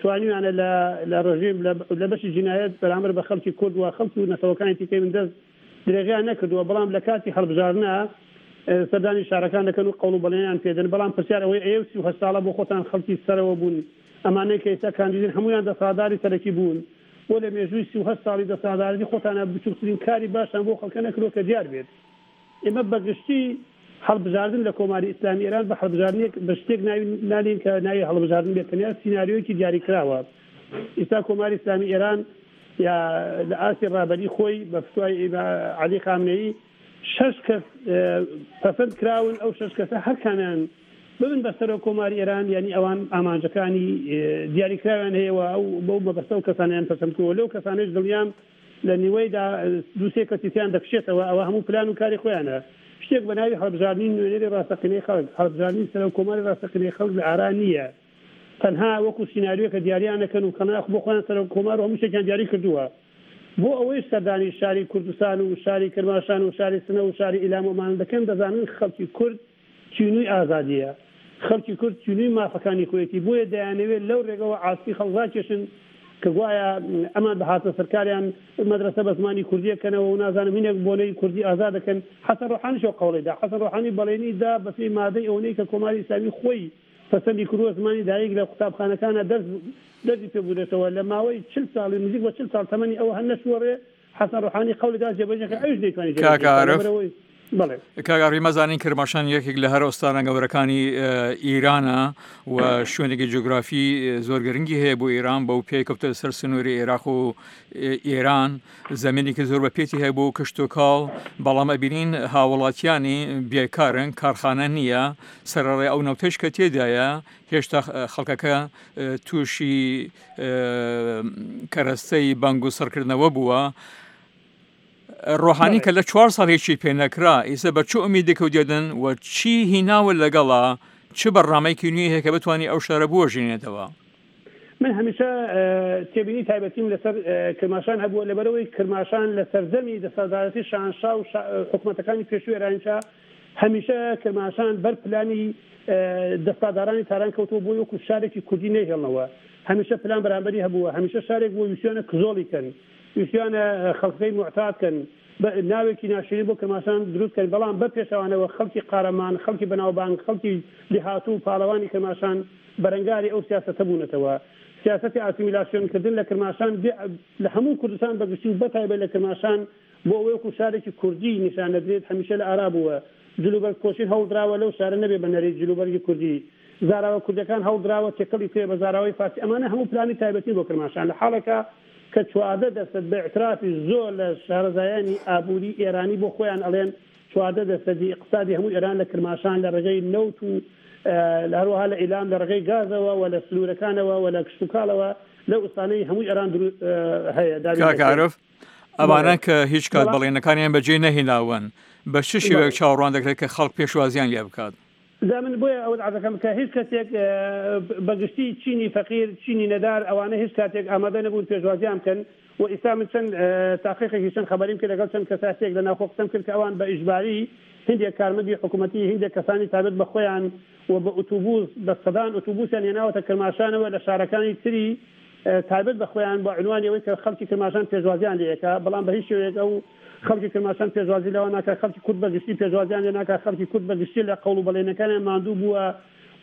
توانیویانە لە لە ڕژیم لە بەشی جینایەت بەرامبەر بە خەڵکی کورد و خەڵکی و نەتەوەکانی تیکەی بندەست درێغیان نەکردووە، بەڵام لە کاتی هەڵبژاردنا سەردانی شارەکان دەکەن و قەوڵ و بەڵێنیان پێدەن، بەڵام پرسیار ئەوەیە ئێوە 38 ساڵە بۆ خۆتان خەڵکی سەرەوە بوون، ئەمانەی کە ئێستا کاندیدن هەموویان دەسەڵاتداری سەرەکی بوون، بۆ لە مێژووی 38 ساڵی دەسەڵاتدارێتی خۆتانا بچووکترین کاری باشتان بۆ خەڵکە نەکردووە کە دیار بێت؟ ئێمە بە گشتی هەڵبژاردن لە کۆماری ئیسلامی ئێران بە هەڵبژاردنێک بە شتێک ناوی نانێین کە ناوی هەڵبژاردن بێت، تەنیا سیناریۆیەکی دیاریکراوە. ئیستا کۆماری ئیسلامی ئێران یا لە ئاستی ڕابەری خۆی بە فتوای عەلی خامنەیی شەش کەس پەسەند کراون، ئەو شەش کەسە هەر کامیان ببن بە سەرۆک کۆماری ئێران یانی ئەوان ئامانجەکانی دیاریکراویان هەیە و ئەو بەو مەبەستە ئەو کەسانەیان پەسەند کردووە. لەو کەسانەش دڵنیام لە نیوەیدا دوو سێ کەسی تیان دەکشێتەوە، ئەوە هەموو پلان و کاری خۆیانە. شتێک بە ناوی هەڵبژاردنی نوێنەری ڕاستەقینەی خەڵک، هەڵبژاردنی سەرۆک کۆماری ڕاستەقینەی خەڵک لە ئارا نییە. تەنها وەکو سیناریۆکە دیاریان ئەکەن و کەناخ بۆ خۆیان سەرۆک کۆمار و هەموو شتێکیان دیاری کردووە. بۆ ئەوەیش سەردانی شاری کوردستان و شاری کرماشان و شاری سنە و شاری ئیلام و ئەمانە دەکەن، دەزانن خەڵکی کورد تینووی ئازادییە، خەڵکی کورد تینووی مافەکانی خۆیەتی، بۆیە دەیانەوێت لەو رێگەوە عاتفی خەڵک راکێشن کە گوایە ئەمان بە هاتنە سەرکاریان مەدرەسە بە زمانی کوردی ئەکەنەوە و نازانم هینێک بۆنەی کوردی ئازاد دەکەن. حەسەن رۆحانیش ئەو قەوڵەی دا. حەسەن رۆحانی بەڵێنی دا بە پێی مادەی ئەوەنەی کە کۆماری ئیسلامی خۆی پەسەندی کردووە زمانی دایک لە قوتابخانەکانا دەرس دەرسی پێ بودرێتەوە. لە ماوەی 40 ساڵی نزیک بە 40 ساڵ تەمەنی ئەوە هەر نەچووە ڕێ، حەسەن ڕۆحانی قەولی دا جێبەجێ کرد ئەویش نەیتوانی جێبەجێ کاک بکات عارف لەبەرئەوەی بەڵێ. کاک عارف ئێمە زانین کرماشان یەکێک لە هەرە ئوستانە گەورەکانی ئیرانە و شوێنێکی جوگرافی زۆر گرنگی هەیە بۆ ئێران بەو پێی کەوتە سەر سنووری عێراق و ئێران زمینێکی زۆر بە پێتی هەیە بۆ کشتوکاڵ بەڵام ئەبینین هاوڵاتیانی بێکارن کارخانە نییە سەرەڕای ئەو نەوتەش کە تێدایە هێشتا خەڵکەکە تووشی کەرەستەی بەنگ و سڕکردنەوە بووە. ڕۆحانی کە لە چوار ساڵ هیچی پێ نەکرا ئیسە بە چ ئومیدێکەوە دێدن و چی هیناوە لەگەڵا چ بەرنامەیەکی نوێی هەیە کە بتوانێت ئەو شارە بوەژێنێتەوە؟ من هەمیشە تێبینی تایبەتیم لەسەر کرماشان هەبووە لەبەرئەوەی کرماشان لە سەردەمی دەسەڵاتدارەتی شاهنشا و حکومەتەکانی پێشووی ئێرانیشا هەمیشە کرماشان بەر پلانی دەسەڵاتدارانی تاران کەوتووە بۆی وەکو شارێکی کوردی نەیهێڵنەوە هەمیشە پلان بەرامبەری هەبووە هەمیشە شارێک بووە ویستویانە کزۆڵی کەن ویستویانە خەڵکەکەی موعتاد کەن ناوێکی ناشرین بۆ کرماشان دروست کەن بەڵام بە پێچەوانەوە خەڵکی قارەمان خەڵکی بەناوبانگ خەڵکی لێهاتوو و پاڵەوانی کرماشان بەرەنگاری ئەو سیاسەتە بوونەتەوە سیاسەتی ئاسیمیلاسیۆن کردن لە کرماشان لە هەموو کوردستان بەگشتی و بەتایبەت لە کرماشان بۆ ئەوەی وەکو شارێکی کوردی نیشان نەدرێت هەمیشە لە ئارا بووە. جلوبەرگ پۆشین هەوڵدراوە لەو شارە نەبێ بە نەریت جلوبەرگی کوردی. زاراوە کوردیەکان هەوڵدراوە تێکەڵی بکرێ بە زاراوەی فارسی. ئەمانە هەموو پلانی تایبەتین بۆ کرماشان. لە حاڵێکا کە 14 دەرسەد بە ئیعترافی زۆر لە شارەزایانی ئابووری ئێرانی بۆ خۆیان ئەڵێن 14 دەرسەدی ئیقتسادی هەموو ئێران لە کرماشان لە ڕێگەی نەوت و لە هەروەها لە ئیلام لە ڕێگەی گازەوە و لە سنوورەکانەوە و لە کشتوکاڵەوە لەو ئوستانەی هەموو ئێران درو هەیە دابین کاک دەکرێن. عارف ئەوانە بەڵێ کە هیچ کات بەڵام بەڵێنەکانیان بەجێ نەهێناون بە چ شێوەیەک بەڵێ. چاوەڕوان دەکرێت کە خەڵک پێشوازیان لێ بکات؟ جا من بۆیە ئەوەت عەرز دەکەم کە هیچ کەسێک بە گشتی چینی فەقیر، چینی نەدار ئەوانە هیچ کاتێک ئامادە نەبوون پێشوازیان بکەن و ئیستا من چەند تاقیقێکی چەند خەبەریم کرد لەگەڵ چەند کەسایەتیەک لە ناوخۆ قسەم کرد کە ئەوان بە ئیجباری هیندێک کارمەندی حکوومەتی هیندێک کەسانی تایبەت بە خۆیان و بە ئوتوبوس بە سەدان ئوتوبوسیان هێناوەتە کرماشانەوە لە شارەکانی تری تایبەت بە خۆیان بە عینوانی ئەوەی کە خەڵکی کرماشان پێشوازیان لێ ئەکا، بەڵام بە هیچ شێوەیەک ئەو خەڵکی کرماشان پێشوازی لەوان ناکا، خەڵکی کورد بە گشتی پێشوازیان لێ ناکا، خەڵکی کورد بە گشتی لە قەوڵ و بەڵێنەکانیان ماندوو بووە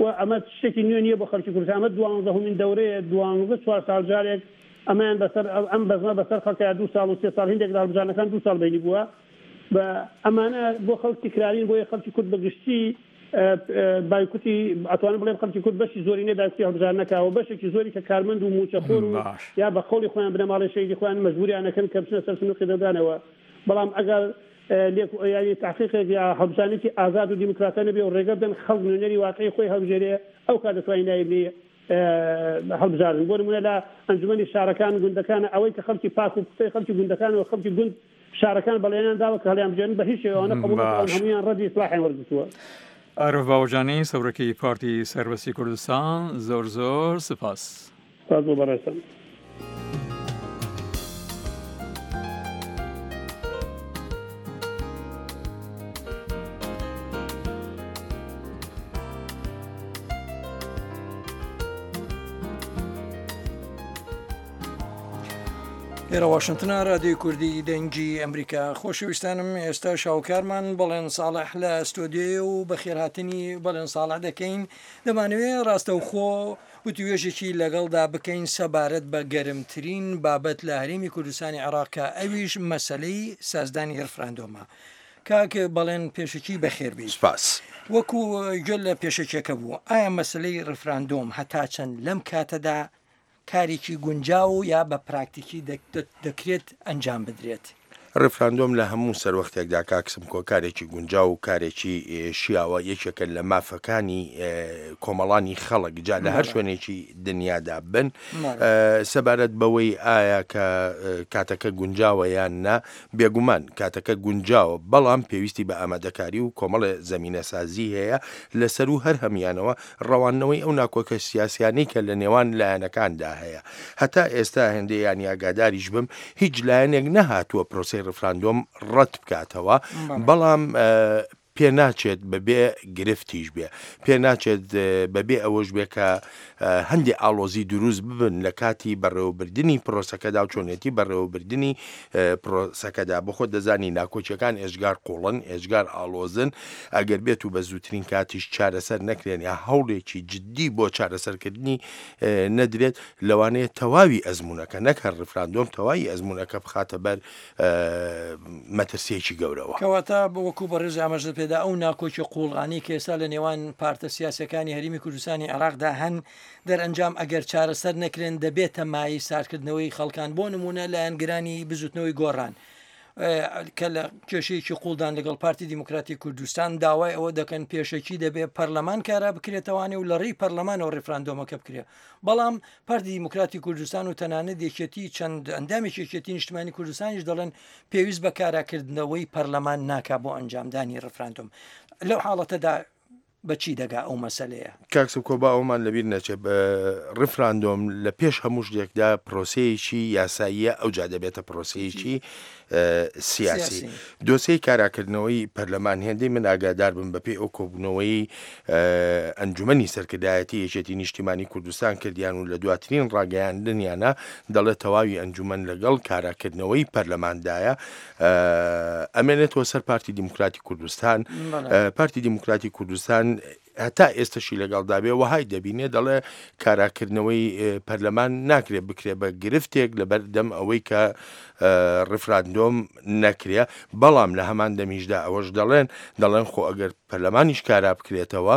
و ئەمە شتێکی نوێ نییە بۆ خەڵکی کوردستان، ئەمە دوانزەهەمین دەورەیە، دوانزە چوار ساڵ جارێک ئەمەیان بەسەر ئەم بەزمە بەسەر خەڵکا دوو ساڵ و سێ ساڵ هیندێک لە هەڵبژاردنەکان دوو ساڵ بەینی بووە بە ئەمانە بۆ خەڵک تکرارین، بۆیە خەڵکی کورد بە گشتی بایکوتی ئەتوانم بڵێم خەڵکی کورد بەشی زۆرینەی بایکوتی هەڵبژاردن نەکا و بەشێکی زۆری کە کارمەند و مووچەخۆر و باش. یا بە قەوڵی خۆیان بنەماڵەی شەهیدی خۆیان مەجبوریان ئەکەن کە بچنە سەر سندوقی دەنگدانەوە بەڵام ئەگەر لێک یانی تەحقیقێک یا هەڵبژاردنێکی ئازاد و دیموکراتە نەبێ و ڕێگە بدەن خەڵک نوێنەری واقعی خۆی هەڵبژێرێ ئەو کات دەتوانین ناوی بنێی هەڵبژاردن بۆ نمونە لە ئەنجومەنی شارەکان گوندەکان ئەوەی کە خەڵکی پاک و پوختەی خەڵکی گوندەکان و خەڵکی گوند. شارەکان بەڵێنیان داوە کە هەڵیانبژێرن بە هیچ شێوە ئەوانە قبوڵ نەکراون باش. هەموویان ڕەدی ئیسلاحیان وەرگرتووە. عارف باوەجانی سەرۆکی پارتی سەربەستی کوردستان زۆر زۆر سپاس. سپاس بۆ بەڕێزتان. لێرە واشنتنە رادیۆی کوردی دەنگی ئەمریکا خۆشەویستانم ئێستا شاوکارمان بەڵێن ساڵح لە ستۆدیۆیە و بەخێرهاتنی بەڵێن ساڵح دەکەین دەمانەوێ ڕاستەوخۆ وتوێژێکی لەگەڵدا بکەین سەبارەت بە گەرمترین بابەت لە هەرێمی کوردستانی عێراق کە ئەویش مەسەلەی سازدانی ڕفراندۆمە. کاک بەڵێن پێشەکی بەخێربێی. سپاس. وەکو گوێت لە پێشەکیەکە بوو، ئایا مەسەلەی ڕفراندۆم هەتا چەند لەم کاتەدا کارێکی گونجاو و یا بە پراکتیکی دەکرێت ئەنجام بدرێت؟ ڕیفراندۆم لە هەموو سەروەختێکدا کاک سمکۆ کارێکی گونجاو و کارێکی شیاوە، یەکێکە لە مافەکانی کۆمەڵانی خەڵک جا لە هەر شوێنێکی دنیادا بن. سەبارەت بەوەی ئایا کە کاتەکە گونجاوە یان نا، بێگومان کاتەکە گونجاوە، بەڵام پێویستی بە ئامادەکاری و کۆمەڵێ زەمینەسازی هەیە لە سەروو هەر هەموویانەوە ڕەواندنەوەی ئەو ناکۆکە سیاسیانەی کە لە نێوان لایەنەکاندا هەیە. هەتا ئێستا هێندەی یانی ئاگاداریش بم هیچ لایەنێک نەهاتووە پرۆسەی ڕیفراندۆم ڕەت بکاتەوە، بەڵام پێناچێت بەبێ گرفتیش بێ، پێناچێت بەبێ ئەوەش بێ کە هەندێ ئاڵۆزی دروست ببن لە کاتی بەڕێوەبردنی پرۆسەکەدا و چۆنێتی بەڕێوەبردنی پرۆسەکەدا. بۆ خۆت دەزانی ناکۆکیەکان ئێجگار قوڵن، ئێجگار ئاڵۆزن، ئەگەر بێت و بە زووترین کاتیش چارەسەر نەکرێن یا هەوڵێکی جددی بۆ چارەسەرکردنی نەدرێت، لەوانەیە تەواوی ئەزموونەکە نەک هەر ڕیفراندۆم، تەواوی ئەزموونەکە بخاتە بەر مەترسییەکی گەورەوە. کەواتە وەکو بەڕێز ئاماژەت پێدا ئەو ناکۆکی قووڵانەی کە ئێستا لە نێوان پارتە سیاسیەکانی هەرێمی کوردستانی عێراقدا هەن، دەرئەنجام ئەگەر چارەسەر نەکرێن دەبێتە مایەی ساردکردنەوەی خەڵکان، بۆ نموونە لایەنگرانی بزوتنەوەی گۆڕان کە لە کێشەیەکی قوڵدان لەگەڵ پارتی دیموکراتی کوردستان داوای ئەوە دەکەن پێشەکی دەبێ پەرلەمان کارا بکرێتەوانێ و لە ڕێی پەرلەمانەوە ڕیفراندۆمەکە بکرێ بەڵام پارتی دیموکراتی کوردستان و تەنانەت یەکێتی چەند ئەندامێکی یەکێتی نیشتمانی کوردستانیش دەڵێن پێویست بە کاراکردنەوەی پەرلەمان ناکا بۆ ئەنجامدانی ڕفراندۆم لەو حاڵەتەدا بە چی دەگا ئەو مەسەلەیە؟ کاک سمکۆ با ئەوەمان لەبیر نەچێ ڕیفراندۆم لە پێش هەموو شتێکدا پرۆسەیەکی یاساییە ئەوجا دەبێتە پرۆسەیەکی سیاسی. دۆسیەی کاراکردنەوەی پەرلەمان هێندەی من ئاگادار بم بەپێی ئەو کۆبوونەوەی ئەنجومەنی سەرکردایەتی یەکێتی نیشتیمانی کوردستان کردیان و لە دواترین ڕاگەیاندنیانە دەڵێت تەواوی ئەنجومەن لەگەڵ کاراکردنەوەی پەرلەماندایە ئەمێنێتەوە سەر پارتی دیموکراتی کوردستان پارتی دیموکراتی کوردستان هەتا ئێستەشی لەگەڵدا بێ وەهای دەبینێ دەڵێ کاراکردنەوەی پەرلەمان ناکرێ بکرێ بە گرفتێک لەبەر دەم ئەوەی کە ڕفراندۆم نەکرێ بەڵام لە هەمان دەمیشدا ئەوەش دەڵێن دەڵێن خۆ ئەگەر پەرلەمانیش کارا بکرێتەوە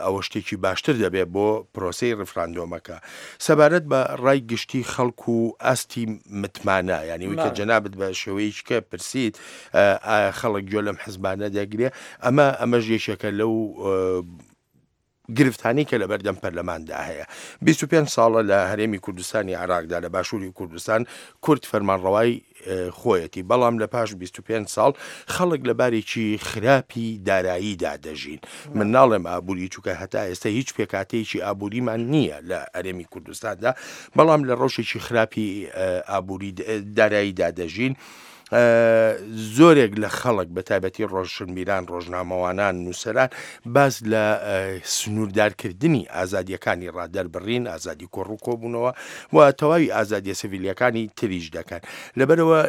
ئەوە شتێکی باشتر دەبێت بۆ پرۆسەی ڕفراندۆمەکە سەبارەت بە ڕای گشتی خەڵک و ئاستی متمانە یانی وی کە جەنابت بە شێوەیەکی کە پرسیت ئایا خەڵک گوێ لەم حزبانە دەگرێ ئەمە ئەمەش یەکێکە لەو گرفتانەی کە لەبەردەم پەرلەماندا هەیە. 25 ساڵە لە هەرێمی کوردستانی عێراقدا لە باشووری کوردستان کورد فەرمانڕەوای خۆیەتی، بەڵام لە پاش 25 ساڵ خەڵک لە بارێکی خراپی داراییدا دەژین. من ناڵێم ئابووری چونکە هەتا ئێستا هیچ پێکهاتەیەکی ئابووریمان نییە لە هەرێمی کوردستاندا، بەڵام لە ڕەوشێکی خراپی ئابووری داراییدا دەژین. زۆرێک لە خەڵک بە تایبەتی ڕۆشنبیران، ڕۆژنامەوانان، نووسەران باس لە سنووردارکردنی ئازادییەکانی ڕادەربڕین، ئازادی کۆڕ و کۆبوونەوە و تەواوی ئازادیە سڤیلیەکانی تریش دەکەن. لەبەرئەوە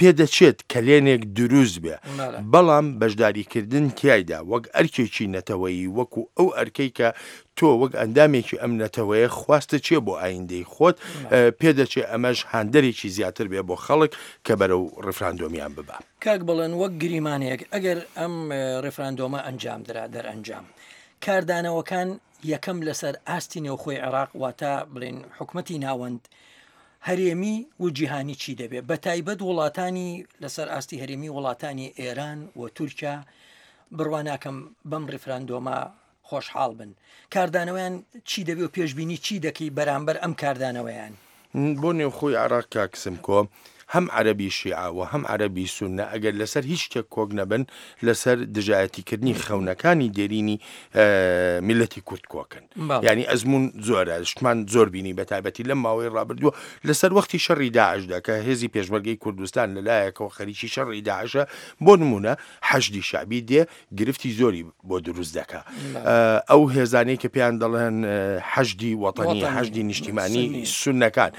پێدەچێت کەلێنێک دروست بێ، بەڵام بەشداریکردن تیایدا وەک ئەرکێکی نەتەوەیی، وەکو ئەو ئەرکەی کە تۆ وەک ئەندامێکی ئەم نەتەوەیە خواستت چیە بۆ ئایندەی خۆت، پێدەچێ ئەمەش هاندەرێکی زیاتر بێ بۆ خەڵک کە بەرەو ڕیفراندۆمیان ببا. کاک بەڵێن وەک گریمانەیەک ئەگەر ئەم ڕیفراندۆمە ئەنجام درا دەرئەنجام کاردانەوەکان یەکەم لەسەر ئاستی نێوخۆی عێراق واتە بڵێن حکومەتی ناوەند هەرێمی و جیهانی چی دەبێت بە تایبەت وڵاتانی لەسەر ئاستی هەرێمی وڵاتانی ئێران و تورکیا بڕوا ناکەم بەم ڕیفراندۆمە خۆشحاڵ بن کاردانەوەیان چی دەبێ و پێشبینی چی دەکەی بەرامبەر ئەم کاردانەوەیان؟ بۆ نێوخۆی عێراق کاک سمکۆ. هەم عەرەبی شیعە و هەم عەرەبی سوننە ئەگەر لەسەر هیچ شتێک کۆک نەبن لەسەر دژایەتیکردنی خەونەکانی دێرینی میللەتی کورد کۆکن. یانی ئەزموون زۆرە، شتمان زۆر بینی بە تایبەتی لەم ماوەی ڕابردووە لەسەر وەختی شەڕی داعشدا کە هێزی پێشمەرگەی کوردستان لەلایەکەوە خەریکی شەڕی داعشە بۆ نموونە حەشدی شەعبی دێ گرفتی زۆری بۆ دروست دەکا ئەو هێزانەی کە پێیان دەڵێن حەشدی وەتەنی حەشدی نیشتیمانی سونەکان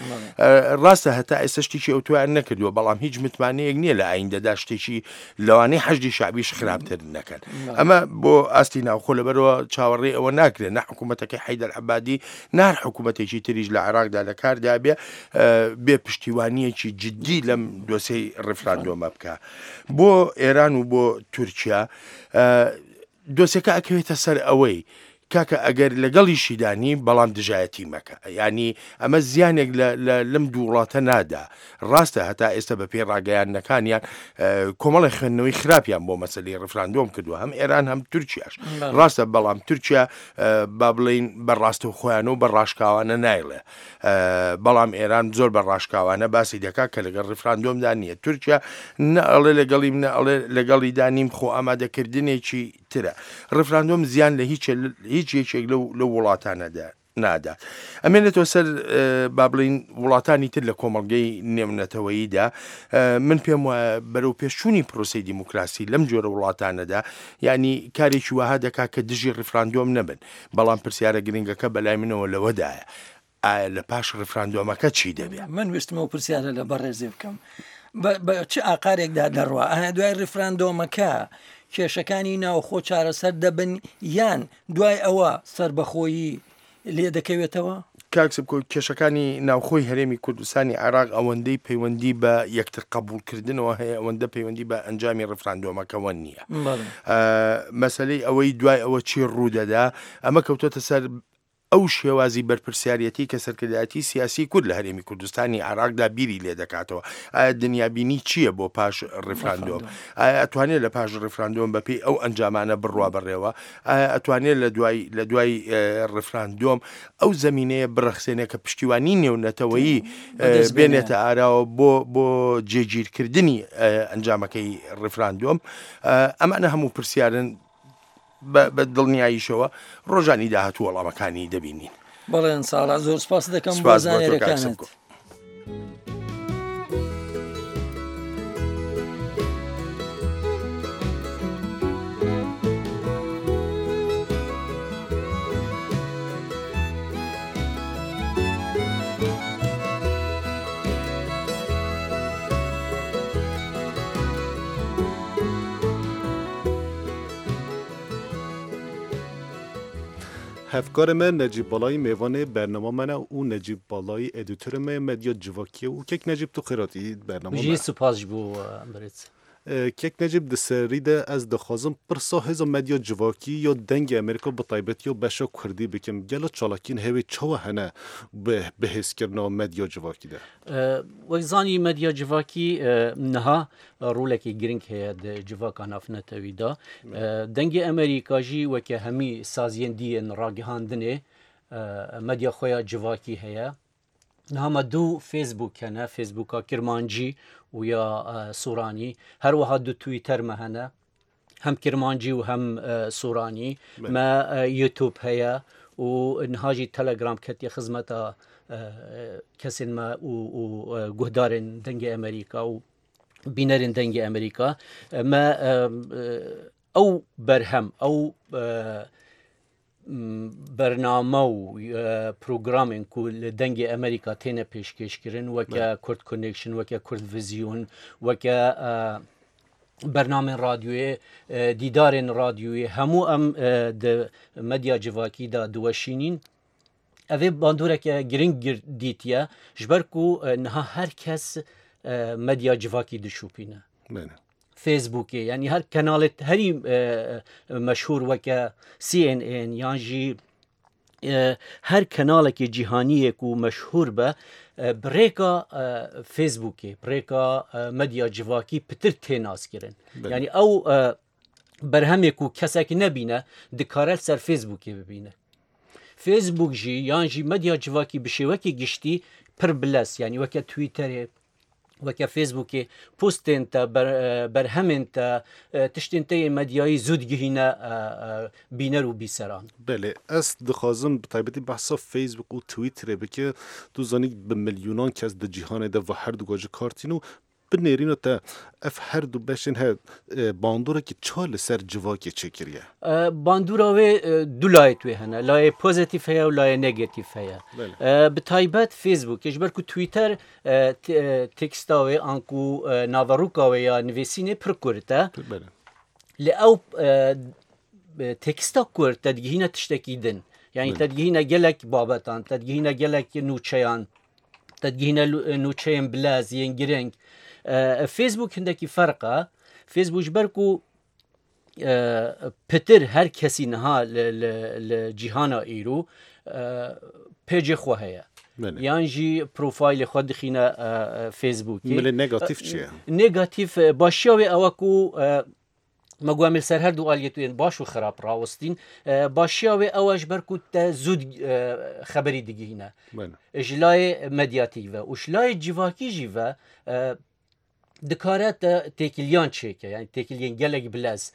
ڕاستە هەتا ئێستا شتێکی ئەو تویان نەکردووە بەڵام هیچ متمانەیەک نییە لە ئایندەدا شتێکی لەوانەیە حەشدی شعبیش خراپتر نەکەن ئەمە بۆ ئاستی ناوخۆ لەبەرەوە چاوەڕێ ئەوە ناکرێت نە حکوومەتەکەی حیدەر عبادی نار حکوومەتێکی تریش لە عێراقدا لە کاردا بێ بێ پشتیوانیەکی جددی لەم دۆسەی ڕیفراندۆمە بکە بۆ ئێران و بۆ تورکیا دۆسێکە ئەکەوێتە سەر ئەوەی کاکە ئەگەر لەگەڵیشیدا نیم بەڵام دژایەتی مەکە یانی ئەمە زیانێک لەم دوو وڵاتە نادا ڕاستە هەتا ئێستا بە پێی ڕاگەیاندنەکانیان کۆمەڵی خوێندنەوەی خراپیان بۆ مەسەلی ڕفراندۆم کردووە هەم ئێران هەم تورکیاش ڕاستە بەڵام تورکیا با بڵین بە ڕاستە خۆیان و بە ڕاشکاوانە نایڵێ بەڵام ئێران زۆر بە ڕاشکاوانە باسی دەکات کە لەگەڵ ڕیفراندۆمدا نییە تورکیا نە ئەڵێ لەگەڵیم نە ئەڵێ لەگەڵیدا نیم خۆ ئامادەکردنێکی ترە ڕیفراندۆم زیان لە هیچ هیچ یەکێک لەو لەو وڵاتانەدا نادات ئەمێنێتەوە سەر با بڵین وڵاتانی تر لە کۆمەڵگەی نێونەتەوەییدا من پێم وایە بەرەو پێشچوونی پرۆسی دیموکراسی لەم جۆرە وڵاتانەدا یعنی کارێکی وەها دەکات کە دژی ڕیفراندۆم نەبن بەڵام پرسیارە گرنگەکە بەلای منەوە لەوەدایە ئایا لە پاش ڕیفراندۆمەکە چی دەبێ؟ من ویستم ئەو پرسیارە لە بەڕێزێ بکەم بە چ ئاقارێکدا دەڕوا ئایا دوای ڕیفراندۆمەکە کێشەکانی ناوخۆ چارەسەر دەبن یان دوای ئەوە سەربەخۆیی لێ دەکەوێتەوە؟ کاک سمکۆ کێشەکانی ناوخۆی هەرێمی کوردستانی عێراق ئەوەندەی پەیوەندی بە یەکتر قەبوڵکردنەوە هەیە ئەوەندە پەیوەندی بە ئەنجامی ڕیفراندۆمەکەوە نییە. مەسەلەی ئەوەی دوای ئەوە چی ڕوودەدا ئەمە کەوتۆتە سەر ئەو شێوازی بەرپرسیارەتی کە سەرکردایەتی سیاسی کورد لە هەرێمی کوردستانی عێراقدا بیری لێ دەکاتەوە ئایا دنیابینی چییە بۆ پاش ڕیفراندۆم ئایا ئەتوانێت لە پاش ڕیفراندۆم بەپێی ئەو ئەنجامانە بڕوا بەڕێوە ئایا ئەتوانێت لە دوای لە دوای ڕیفراندۆم ئەو زەمینەیە بڕەخسێنێ کە پشتیوانی نێونەتەوەیی بێنێتە ئاراوە بۆ بۆ جێگیرکردنی ئەنجامەکەی ڕیفراندۆم ئەمانە هەموو پرسیارن بە دڵنیاییشەوە ڕۆژانی داهاتوو وەڵامەکانی دەبینین. بەڵێ ساڵا زۆر سپاس دەکەم بۆ زانیاریەکانت. Hevkarê me Necîb Balayî mêvanê bernama me ne û Necîb Balayî edîtorê me ye medya civakî ye û kek Necîb tu xêr hatî bernama me. Jî spas ji bo birêz. Kek Necîb di serî de ez dixwazim pirsa hêza medya civakî ya Dengê Amerîka bi taybetî ya beşa kurdî bikim. Gelo çalakiyên hewê çawa hene bi bihêzkirina medya civakî de? Wek zanî medya civakî niha rolekî giring heye di civaka navnetewî de. Dengê Amerîka jî weke hemî saziyên dî yên ragihandinê medya xwe ya civakî heye. Niha me du Facebook hene, Facebooka Kirmancî û ya Soranî. Her wiha du Twitter me hene. Hem Kirmancî û hem Soranî. Me YouTube heye û niha jî Telegram ketiye xizmeta kesên me û guhdarên Dengê Amerîka û bînerên Dengê Amerîka. Me ew berhem, ew bername û programên ku li Dengê Amerîka têne pêşkêşkirin weke Kurd Connection, weke Kurd Vision, weke bernamên radyoyê, dîdarên radyoyê hemû em di medya civakî de diweşînîn. Ev ê bandoreke giring dîtiye ji ber ku niha her kes medya civakî dişopîne. Facebookê yanî her kenalê herî meşhûr weke CNN yan jî her kenalekê cîhaniyê ku meşhûr be bi rêka Facebookê bi rêka medya civakî pitir tê naskirin. Yanî ew berhemê ku kesek nebîne dikare li ser Facebookê bibîne. Facebook jî yan jî medya civakî bi şêwekî giştî pir bilez yanî weke Twitterê. وەکە فێسبووکێ پۆستێن تە بەرهەمێن تە تشتێن تە yên medyayî zû digihîne bîner û bîseran. Belê, ez dixwazim bi taybetî behsa Facebook û Twitterê bike. Tu zanî bi milyonan kes di cîhanê de va her du ji kar tîn û bi nêrîna te ev her du beşên he bandorekî ça li ser civakê çêkiriye? Bandora wê du layê wê hene. Layê pozîtîf heye û layê negatîf heye. Bi taybet Facebookê ji ber ku Twitter Teksta wê anku naveroka wê ya nivîsînê pir kurt e. Lê ew teksta kurt te digihîne tiştekî din. Yani te digihîne gelek babetan, te digihîne gelek nûçeyan, te digihîne nûçeyên bilez yên giring. Facebook hindekî ferq e. Facebook ji ber ku Pitir her kesî niha li cîhana îro pêcê xwe heye. Yan jî profaylê xwe dixîne Facebookê. Milê negatîf çi ye? Negatîf başiya wê ew e ku me got em li ser her du aliyê tu yên baş û xerab rawestîn. Başiya wê ew e ji ber ku te zû xeberî digihîne. Ji layê medyatîk ve û ji layê civakî jî ve dikare te têkiliyan çêke yani têkiliyên gelek bilez.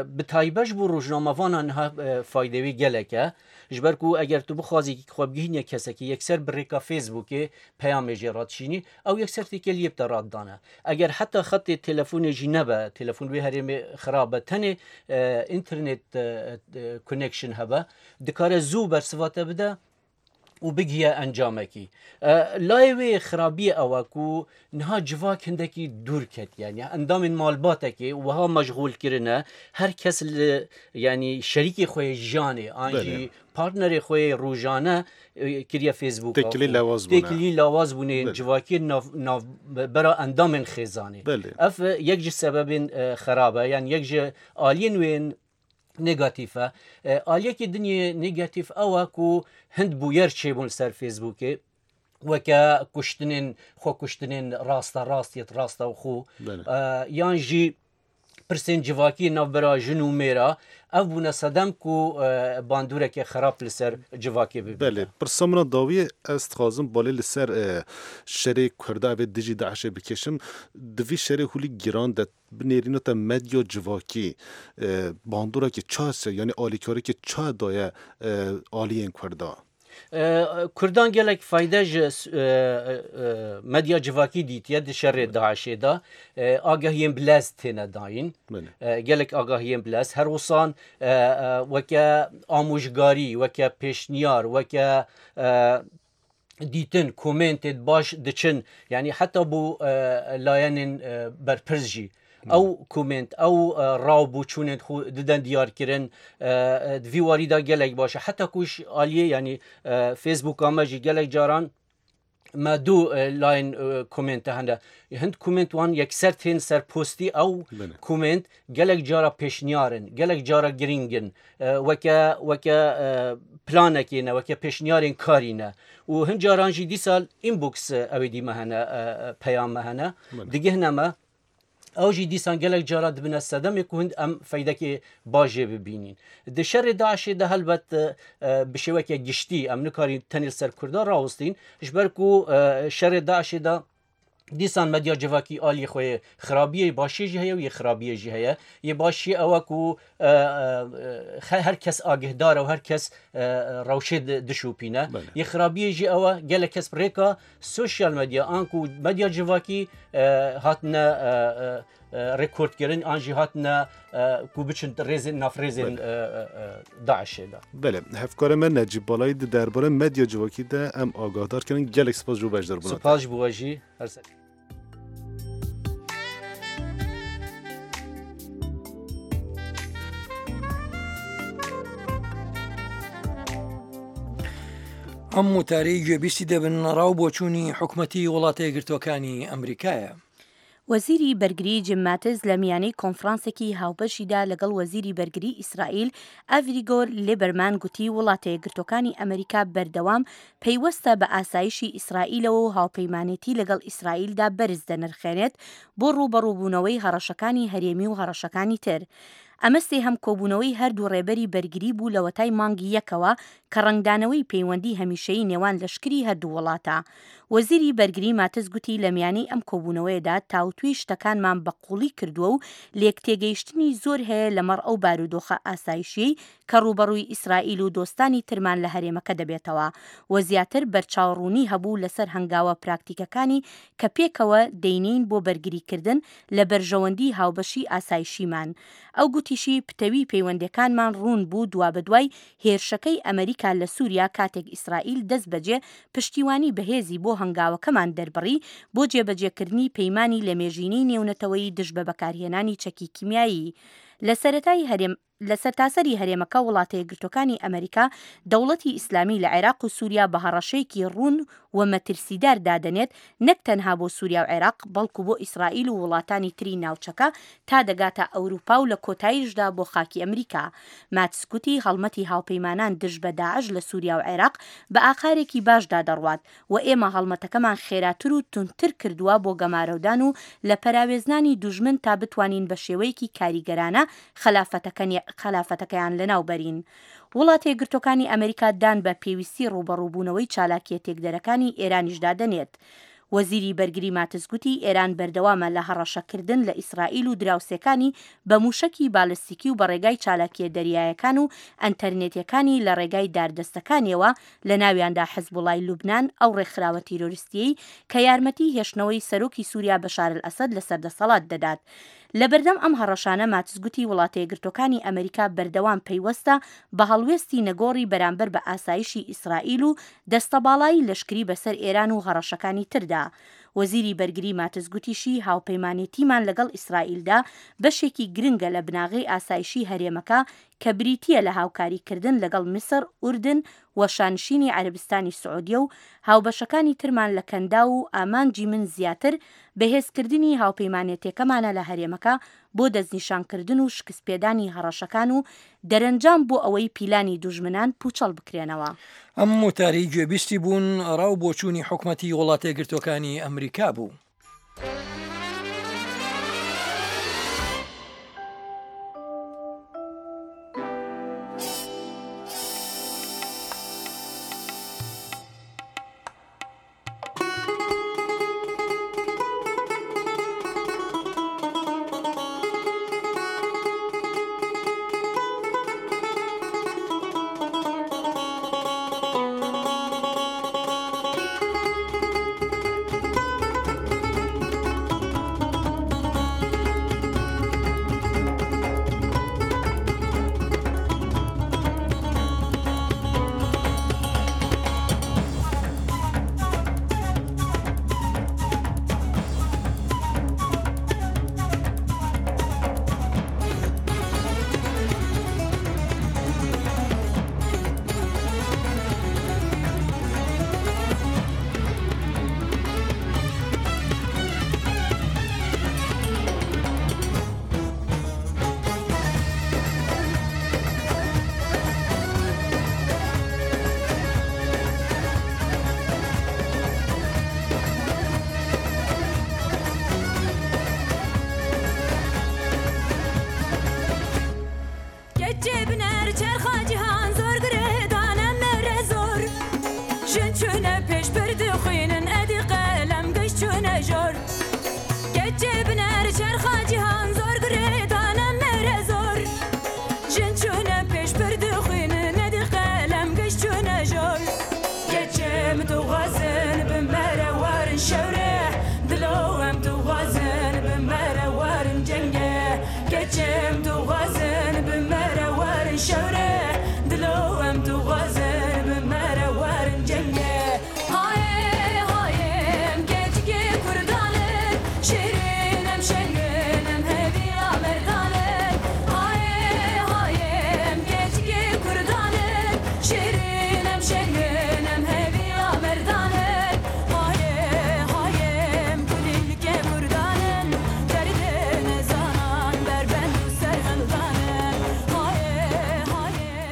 Bi taybet ji bo rojnamevanan niha faydê wê gelek e. Ji ber ku eger tu bixwazî xwe bigihînî kesekî yekser bi rêka Facebookê peyamê jê re dişînî ew yekser têkeliyê bi te re didane. Eger heta xetê telefonê jî nebe, telefon wê herêmê xirab be tenê internet connection hebe dikare zû bersiva te bide û bigihe encamekî. Layê wê xirabiyê ew e ku niha civak hindekî dûr ketiye. Yani endamên malbatekê wiha meşgûl kirine her kes li yanî şerîkê xwe yê jiyanê an jî partnerê xwe yê rojane kiriye Facebooka. Têkilî lewaz bûne. Têkilî lewaz bûne civakê nav nav bera endamên xêzanê. Ev yek ji sebebên xerab e yan yek ji aliyên wê yên negatîf e. Aliyekî din yê negatîf ew e ku hind bûyer çêbûn li ser Facebookê weke kuştinên xwe kuştinên rasta rast yê rasta û xwe yan jî pirsên civakî navbera jin û mêra ev bûne sedem ku bandoreke xerab li ser civakê bibe. Belê, pirsa min a dawiyê ez dixwazim balê li ser şerê Kurda evê dijî DAIŞ'ê bikêşim. Di vî şerê hûlî giran de Bi nêrîna te medya civakî bandorekî ça se yanî alîkarîkî ça daye aliyên Kurda? Kurdan gelek fayde ji medya civakî dîtiye di şerê DAIŞ'ê de. Agahiyên bi lez têne dayîn. Gelek agahiyên bi lez. Her wisan weke amojgarî, weke pêşniyar, weke dîtin komêntên baş diçin yanî heta bo layenên berpirs jî ew komênt ew raw bo çûnên xwe diden diyarkirin di vî warî de gelek baş e heta ku ji aliyê yanî Facebooka me jî gelek caran me du layên komênte hene hind komênt wan yekser tên ser postî ew komênt gelek cara pêşniyar in gelek cara girîng in weke weke planekê ne weke pêşniyarên karî ne û hin caran jî dîsa inbox ew ê dî me hene peyam me hene digihne me ew jî dîsan gelek cara dibine sedemê ku hind em feydekê baş jê bibînîn. Di şerê DAIŞ'ê de helbet bi şêweke giştî em nikarîn tenê li ser Kurda rawestîn ji ber ku şerê DAIŞ'ê de Dîsan medya civakî aliyê xwe yê xirabiyê başiyê jî heye û yê xirabiyê jî heye. Yê başiyê ew e ku her kes agihdar e û her kes rewşê dişopîne. Yê xirabiyê jî ew e gelek kes bi rêka sosyal medya an ku medya civakî hatine rekordkirin an jî hatine ku biçin rêzên nav rêzên DAIŞ'ê de. Belê, hevkarê me Necîb Balayî di derbarê medya civakî de em agahdar kirin. Gelek spas ji bo beşdarbûna te. Spas ji bo we jî. Her ser. ئەم وتارەی گوێبیستی دەبن ڕاو بۆچوونی حکومەتی وڵاتە یەکگرتووەکانی ئەمریکایە. وەزیری بەرگری جیم ماتس لە میانەی کۆنفرانسێکی هاوبەشیدا لەگەڵ وەزیری بەرگری ئیسرائیل ئاڤیگۆر لیبەرمان گوتی وڵاتە یەکگرتووەکانی ئەمەریکا بەردەوام پەیوەستە بە ئاسایشی ئیسرائیلەوە و هاوپەیمانێتی لەگەڵ ئیسرائیلدا بەرز دەنرخێنێت بۆ ڕووبەڕووبوونەوەی هەڕەشەکانی هەرێمی و هەڕەشەکانی تر. ئەمە سێهەم کۆبوونەوەی هەردوو ڕێبەری بەرگری بوو لەوەتای مانگی یەکەوە کە ڕەنگدانەوەی پەیوەندی هەمیشەیی نێوان لەشکری هەردوو وڵاتە. وەزیری بەرگری ماتس گوتی لە میانەی ئەم کۆبوونەوەیەدا تاوتوێی شتەکانمان بە قووڵی کردووە و لێکتێگەیشتنی زۆر هەیە لەمەڕ ئەو بارودۆخە ئاسایشیەی کە ڕووبەڕووی ئیسرائیل و دۆستانی ترمان لە هەرێمەکە دەبێتەوە و زیاتر بەرچاوڕوونی هەبوو لەسەر هەنگاوە پراکتیکەکانی کە پێکەوە دەینێین بۆ بەرگریکردن لە بەرژەوەندی هاوبەشی ئاسایشیمان. ئەو گوتیشی پتەوی پەیوەندیەکانمان ڕوون بوو دوابەدوای هێرشەکەی ئەمریکا لە سوریا کاتێک ئیسرائیل دەستبەجێ پشتیوانی بەهێزی بۆ هەنگاوەکەمان دەربڕی بۆ جێبەجێکردنی پەیمانی لەمێژینەی نێونەتەوەیی دژ بە بەکارهێنانی چەکی کیمیایی لە سەرەتای هەرێم لە سەرتاسەری هەرێمەکە وڵاتەیەکگرتوەکانی ئەمریکا دەوڵەتی ئیسلامی لە عێراق و سوریا بە هەڕەشەیەکی ڕوون و مەترسیدار دادەنێت نەک تەنها بۆ سوریا و عێراق بەڵکو بۆ ئیسرائیل و وڵاتانی تری ناوچەکە تا دەگاتە ئەوروپا و لە کۆتایشدا بۆ خاکی ئەمریکا. ماتس گوتی هەڵمەتی هاوپەیمانان دژ بە داعش لە سوریا و عێراق بە ئاقارێکی باشدا دەڕوات و ئێمە هەڵمەتەکەمان خێراتر و توندتر کردووە بۆ گەمارۆدان و لە پەراوێزنانی دوژمن تا بتوانین بە شێوەیەکی کاریگەرانە خەلافەتەکەیان لەناو بەرین. وڵاتەیەکگرتووەکانی ئەمریکا دان بە پێویستی ڕووبەڕووبوونەوەی چالاکییە تێکدەرەکانی ئێرانیشدا دەنێت. وەزیری بەرگری ماتس گوتی ئێران بەردەوامە لە هەڕەشەکردن لە ئیسرائیل و دراوسێکانی بە مووشەکی بالستیکی و بە ڕێگای چالاکییە دەریایەکان و ئەنتەرنێتیەکانی لە ڕێگای داردەستەکانیەوە لە ناویاندا حزبوڵای لوبنان ئەو ڕێکخراوە تیرۆریستیەی کە یارمەتی هێشتنەوەی سەرۆکی سوریا بەشار ئەلئەسەد لەسەر دەسەڵات دەدات. لەبەردەم ئەم هەڕەشانە ماتس گوتی وڵاتەیەکگرتوەکانی ئەمریکا بەردەوام پەیوەستە بە هەڵوێستی نەگۆڕی بەرامبەر بە ئاسایشی ئیسرائیل و دەستەباڵایی لەشکری بەسەر ئێران و هەڕەشەکانی تردا. وەزیری بەرگری ماتس گوتیشی هاوپەیمانێتیمان لەگەڵ ئیسرائیلدا بەشێکی گرنگە لە بناغەی ئاسایشی هەرێمەکە کە بریتییە لە هاوکاریکردن لەگەڵ میسر، ئوردن و شانشینی عەرەبستانی سعودیە و هاوبەشەکانی ترمان لە کەنداو و ئامانجی من زیاتر بەهێزکردنی هاوپەیمانێتێکەمانە لە هەرێمەکە بۆ دەستنیشانکردن و شکستپێدانی هەڕەشەکان و دەرەنجام بۆ ئەوەی پیلانی دوژمنان پوچەڵ بکرێنەوە. ئەم وتارەی گوێبیستی بوون ڕا و بۆچوونی حکومەتی وڵاتەیەکگرتووەکانی ئەمریکا بوو.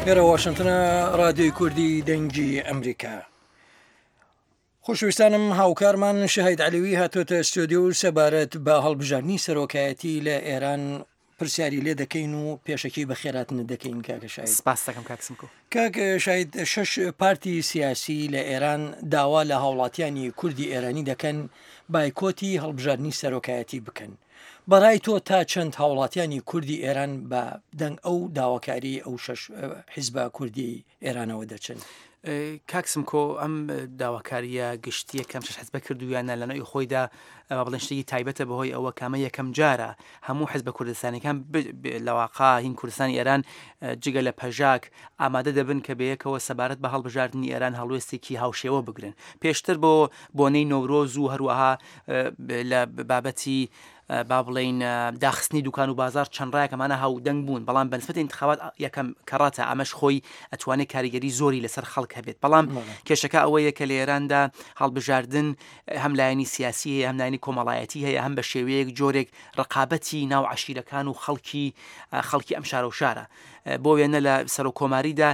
لێرە واشنتنە رادیۆی کوردی دەنگی ئەمریکا. خۆشەویستانم هاوکارمان شەهید عەلەوی هاتۆتە ستۆدیۆ و سەبارەت بە هەڵبژاردنی سەرۆکایەتی لە ئێران پرسیاری لێ دەکەین و پێشەکی بەخێراتنت دەکەین کاکە شاهید. سپاست دەکەم کاک سمکۆ. کاک شاهید شەش پارتی سیاسی لە ئێران داوا لە هاوڵاتیانی کوردی ئێرانی دەکەن بایکۆتی هەڵبژاردنی سەرۆکایەتی بکەن. بەڕای تۆ تا چەند هاوڵاتیانی کوردی ئێران بە دەنگ ئەو داواکاریی ئەو شەش حیزبە کوردیەی ئێرانەوە دەچن؟ کاک سمکۆ ئەم داواکارییە گشتییە کە ئەم شەش حزبە کردوویانە لە نەوعی خۆیدا با بڵێن شتێکی تایبەتە بەهۆی ئەوە کە ئەمە یەکەم جارە هەموو حزبە کوردستانیەکان لە واقع هین کوردستانی ئێران جگە لە پەژاک ئامادە دەبن کە بەیەکەوە سەبارەت بە هەڵبژاردنی ئێران هەڵوێستێکی هاوشێوە بگرن پێشتر بۆ بۆنەی نەورۆز و هەروەها لە بابەتی با بڵێین داخستنی دوکان و بازار چەند ڕایەک ئەمانە هاودەنگ بوون بەڵام بەنسبەت انتخابات یەکەم کەڕاتە ئەمەش خۆی ئەتوانێت کاریگەری زۆری لەسەر خەڵک هەبێت بەڵام کێشەکە ئەوەیە کە لە ئێراندا هەڵبژاردن هەم لایەنی سیاسی هەیە هەم لایەنی کۆمەڵایەتی هەیە هەم بە شێوەیەک جۆرێک ڕقابەتی ناو عەشیرەکان و خەڵکی خەڵکی ئەم شارە و شارە بۆ وێنە لە سەرۆک کۆماریدا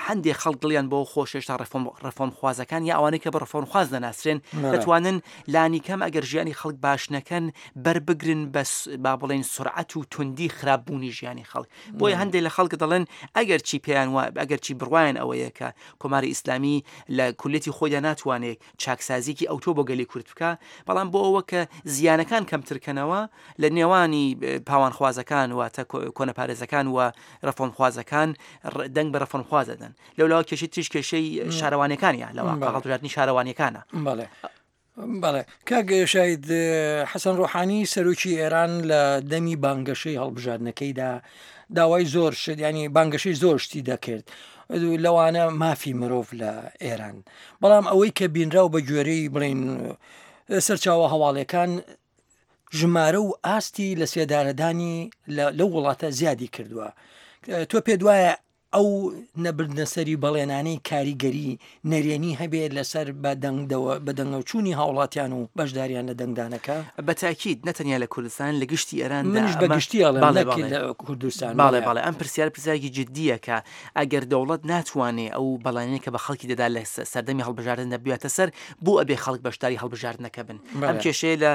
هەندێک خەڵک دڵیان بۆ خۆش هێشتا ڕێفۆرم ڕێفۆرمخوازەکان یا ئەوانەی کە بە ڕێفۆرمخواز دەناسرێن دەتوانن لانیکەم ئەگەر ژیانی خەڵک باش نەکەن بەربگرن بە با بڵێن سرعەت و توندی خراپبوونی ژیانی خەڵک بۆیە هەندێک لە خەڵک دەڵێن ئەگەر چی پێیان وە ئەگەر چی بڕوایان ئەوەیە کە کۆماری ئیسلامی لە کولێتی خۆیدا ناتوانێت چاکسازیکی ئەوتۆ بۆ گەلی کورد بکە بەڵام بۆ ئەوە کە زیانەکان کەمترکەنەوە لە نێوانی پاوانخوازەکان واتە کۆنەپارێزەکان و ڕەفۆرمخوازەکان دەنگ بە ڕەفۆرمخواز دەدەن لەولاوە کێشەی تریش کێشەی شارەوانیەکانە لە واقع هەڵبژاردنی شارەوانیەکانە. بەڵێ بەڵێ کاک شاید حەسەن ڕۆحانی سەرۆکی ئێران لە دەمی بانگەشەی هەڵبژاردنەکەیدا داوای زۆر شت ینی بانگەشەی زۆر شتی دەکرد لەوانە مافی مرۆڤ لە ئێران بەڵام ئەوەی کە بینراو بە گوێرەی بڵین سەرچاوە هەواڵەکان ژمارە و ئاستی لەسێدارەدانی لەو وڵاتە زیادی کردووە. تۆ پێت وایە ئەو نەبردنەسەری بەڵێنانەی کاریگەری نەرێنی هەبێت لەسەر بەدەنگەوچوونی هاوڵاتیان و بەشداریان لە دەنگدانەکە؟ بە تاکید نە تەنیا لە کوردستان لە گشتی ئێراندا منیش بە گشتی ئەڵێم نەک لە کوردستان. بەڵێ بەڵێ ئەم پرسیارە پرسیارێکی جدییە کە ئەگەر دەوڵەت ناتوانێ ئەو بەڵێنەی کە بە خەڵکی دەدا لە سەردەمی هەڵبژاردندا بیاتە سەر بۆ ئەبێ خەڵک بەشداری هەڵبژاردنەکە بن ئەم کێشەیە لە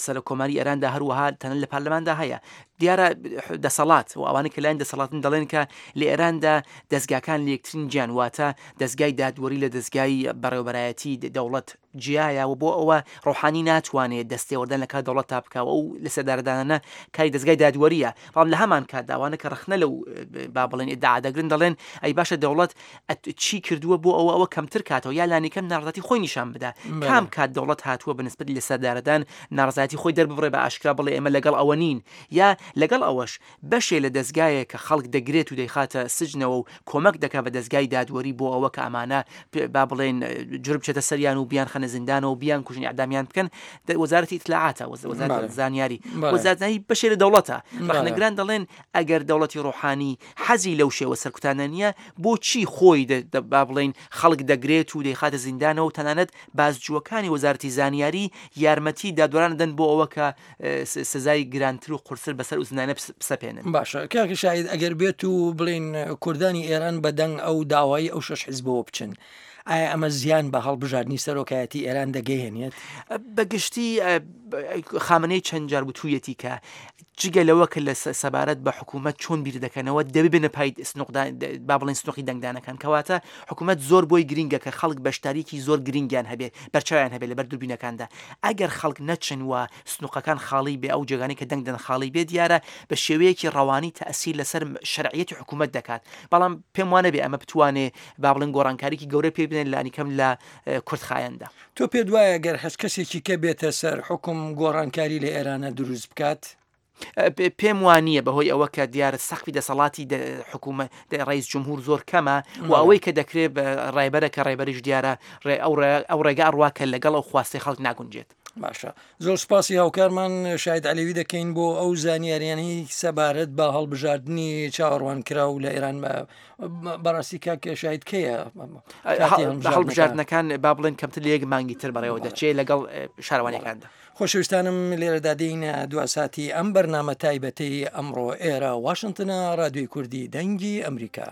سەرۆک کۆماری ئێراندا هەروەها تەنە لە پەرلەماندا هەیە دیارە دەسەڵات و ئەوانەی کە لایەن دەسەڵاتن دەڵێن کە لە ئێراندا دەستگاکان لە یەکترین جیان واتە دەستگای دادوەری لە دەستگای بەڕێوەبەرایەتی دەوڵەت جیایە و بۆ ئەوە ڕۆحانی ناتوانێت دەستێوەردان لە کار دەوڵەت تا بکە و ئەو لە سێدارەدانانە کاری دەستگای دادوەریە بەڵام لە هەمان کاتدا ئەوانە کە ڕەخنە لەو با بڵێن ئیدعا دەگرن دەڵێن ئەی باشە دەوڵەت چی کردووە بۆ ئەوە ئەوە کەمتر کاتەوە یا لانیکەم ناڕەزایەتی خۆی نیشان بدا کام کات دەوڵەت هاتووە بە نسبەت لەسەردارەدان ناڕەزایەتی خۆی دەرببڕێ بە ئاشکرا بڵێ ئێمە لەگەڵ ئەوە نین یا لەگەڵ ئەوەش بەشێ لە دەزگایەک کە خەڵک دەگرێت و دەیخاتە سجنەوە و کۆمەک دەکا بە دەزگای دادوەری بۆ ئەوە کە ئەمانە با بڵێن جرم بچێتە سەریان و بیانخەنە زیندانەوە و بیانکوژن ئیعدامیان بکەن وەزارەتی ئیتلاعاتە وەزارەتی زانیاری وەزارەتی بەشێ لە دەوڵەتە ڕەخنەگران دەڵێن ئەگەر دەوڵەتی ڕۆحانی حەزی لەو شێوە سەرکوتانە نییە بۆچی خۆی با بڵێین خەڵک دەگرێت و دەیخاتە زیندانەوە و تەنانەت بازجووەکانی وەزارەتی زانیاری یارمەتی دادوەران دەدەن بۆ ئەوە کە سزای گرانتر و قورستر بەسەر ئەو زیندانە بسەپێنن. باشە کاک شاهید ئەگەر بێت و بڵێین کوردانی ئێران بە دەنگ ئەو داوای ئەو شەش حیزبەوە بچن ئایا ئەمە زیان بە هەڵبژاردنی سەرۆکایەتی ئێران دەگەیەنێت؟ بە گشتی خامنەی چەند جار وتوویەتی کە جگە لەوە کە لە سەبارەت بە حکوومەت چۆن بیر دەکەنەوە دەبێ بێنە پای سنوقدان با بڵێن سنوقی دەنگدانەکان کەواتە حکوومەت زۆر بۆی گرینگە کە خەڵک بەشداریکی زۆر گرینگیان هەبێ بەرچاویان هەبێ لەبەر دووربینەکاندا ئەگەر خەڵک نەچن و سنوقەکان خاڵی بێ ئەو جێگانەی کە دەنگ دەن خاڵی بێ دیارە بە شێوەیەکی ڕەوانی تەئسیر لەسەر شەرعیەتی حکوومەت دەکات بەڵام پێم وانەبێ ئەمە بتوانێ با بڵێن گۆڕانکاریکی گەورە پێ بنێت لانیکەم لە کورتخایەندا. تۆ پێت وایە گەر هەچ کەسێکی کە بێتە سەر حوکم گۆڕانکاری لە ئێرانە دروست بکات؟ پێم وا نییە بەهۆی ئەوە کە دیارە سەقفی دەسەڵاتی حکوومەت ڕئیس جمهور زۆر کەمە و ئەوەی کە دەکرێت بە ڕێبەرە کە ڕێبەریش دیارە ئەو ڕێگا ئەڕوا کە لەگەڵ ئەو خواستی خەڵک ناگونجێت. باشە زۆر سپاسی هاوکارمان شاید عەلەوی دەکەین بۆ ئەو زانیاریانەی سەبارەت بە هەڵبژاردنی چاوەڕوانکراو لە ئێران بەڕاستی کاک شاید کەیە هەڵبژاردنەکان با بڵێن کەمتر لە یەک مانگی تر بەڕێوە دەچێت لەگەڵ شارەوانیەکاندا. خۆشەویستانم لێرەدا دێینە دوا ساتی ئەم بەرنامە تایبەتەی ئەمڕۆ ئێرە واشنتنە ڕادیۆی کوردی دەنگی ئەمریکا.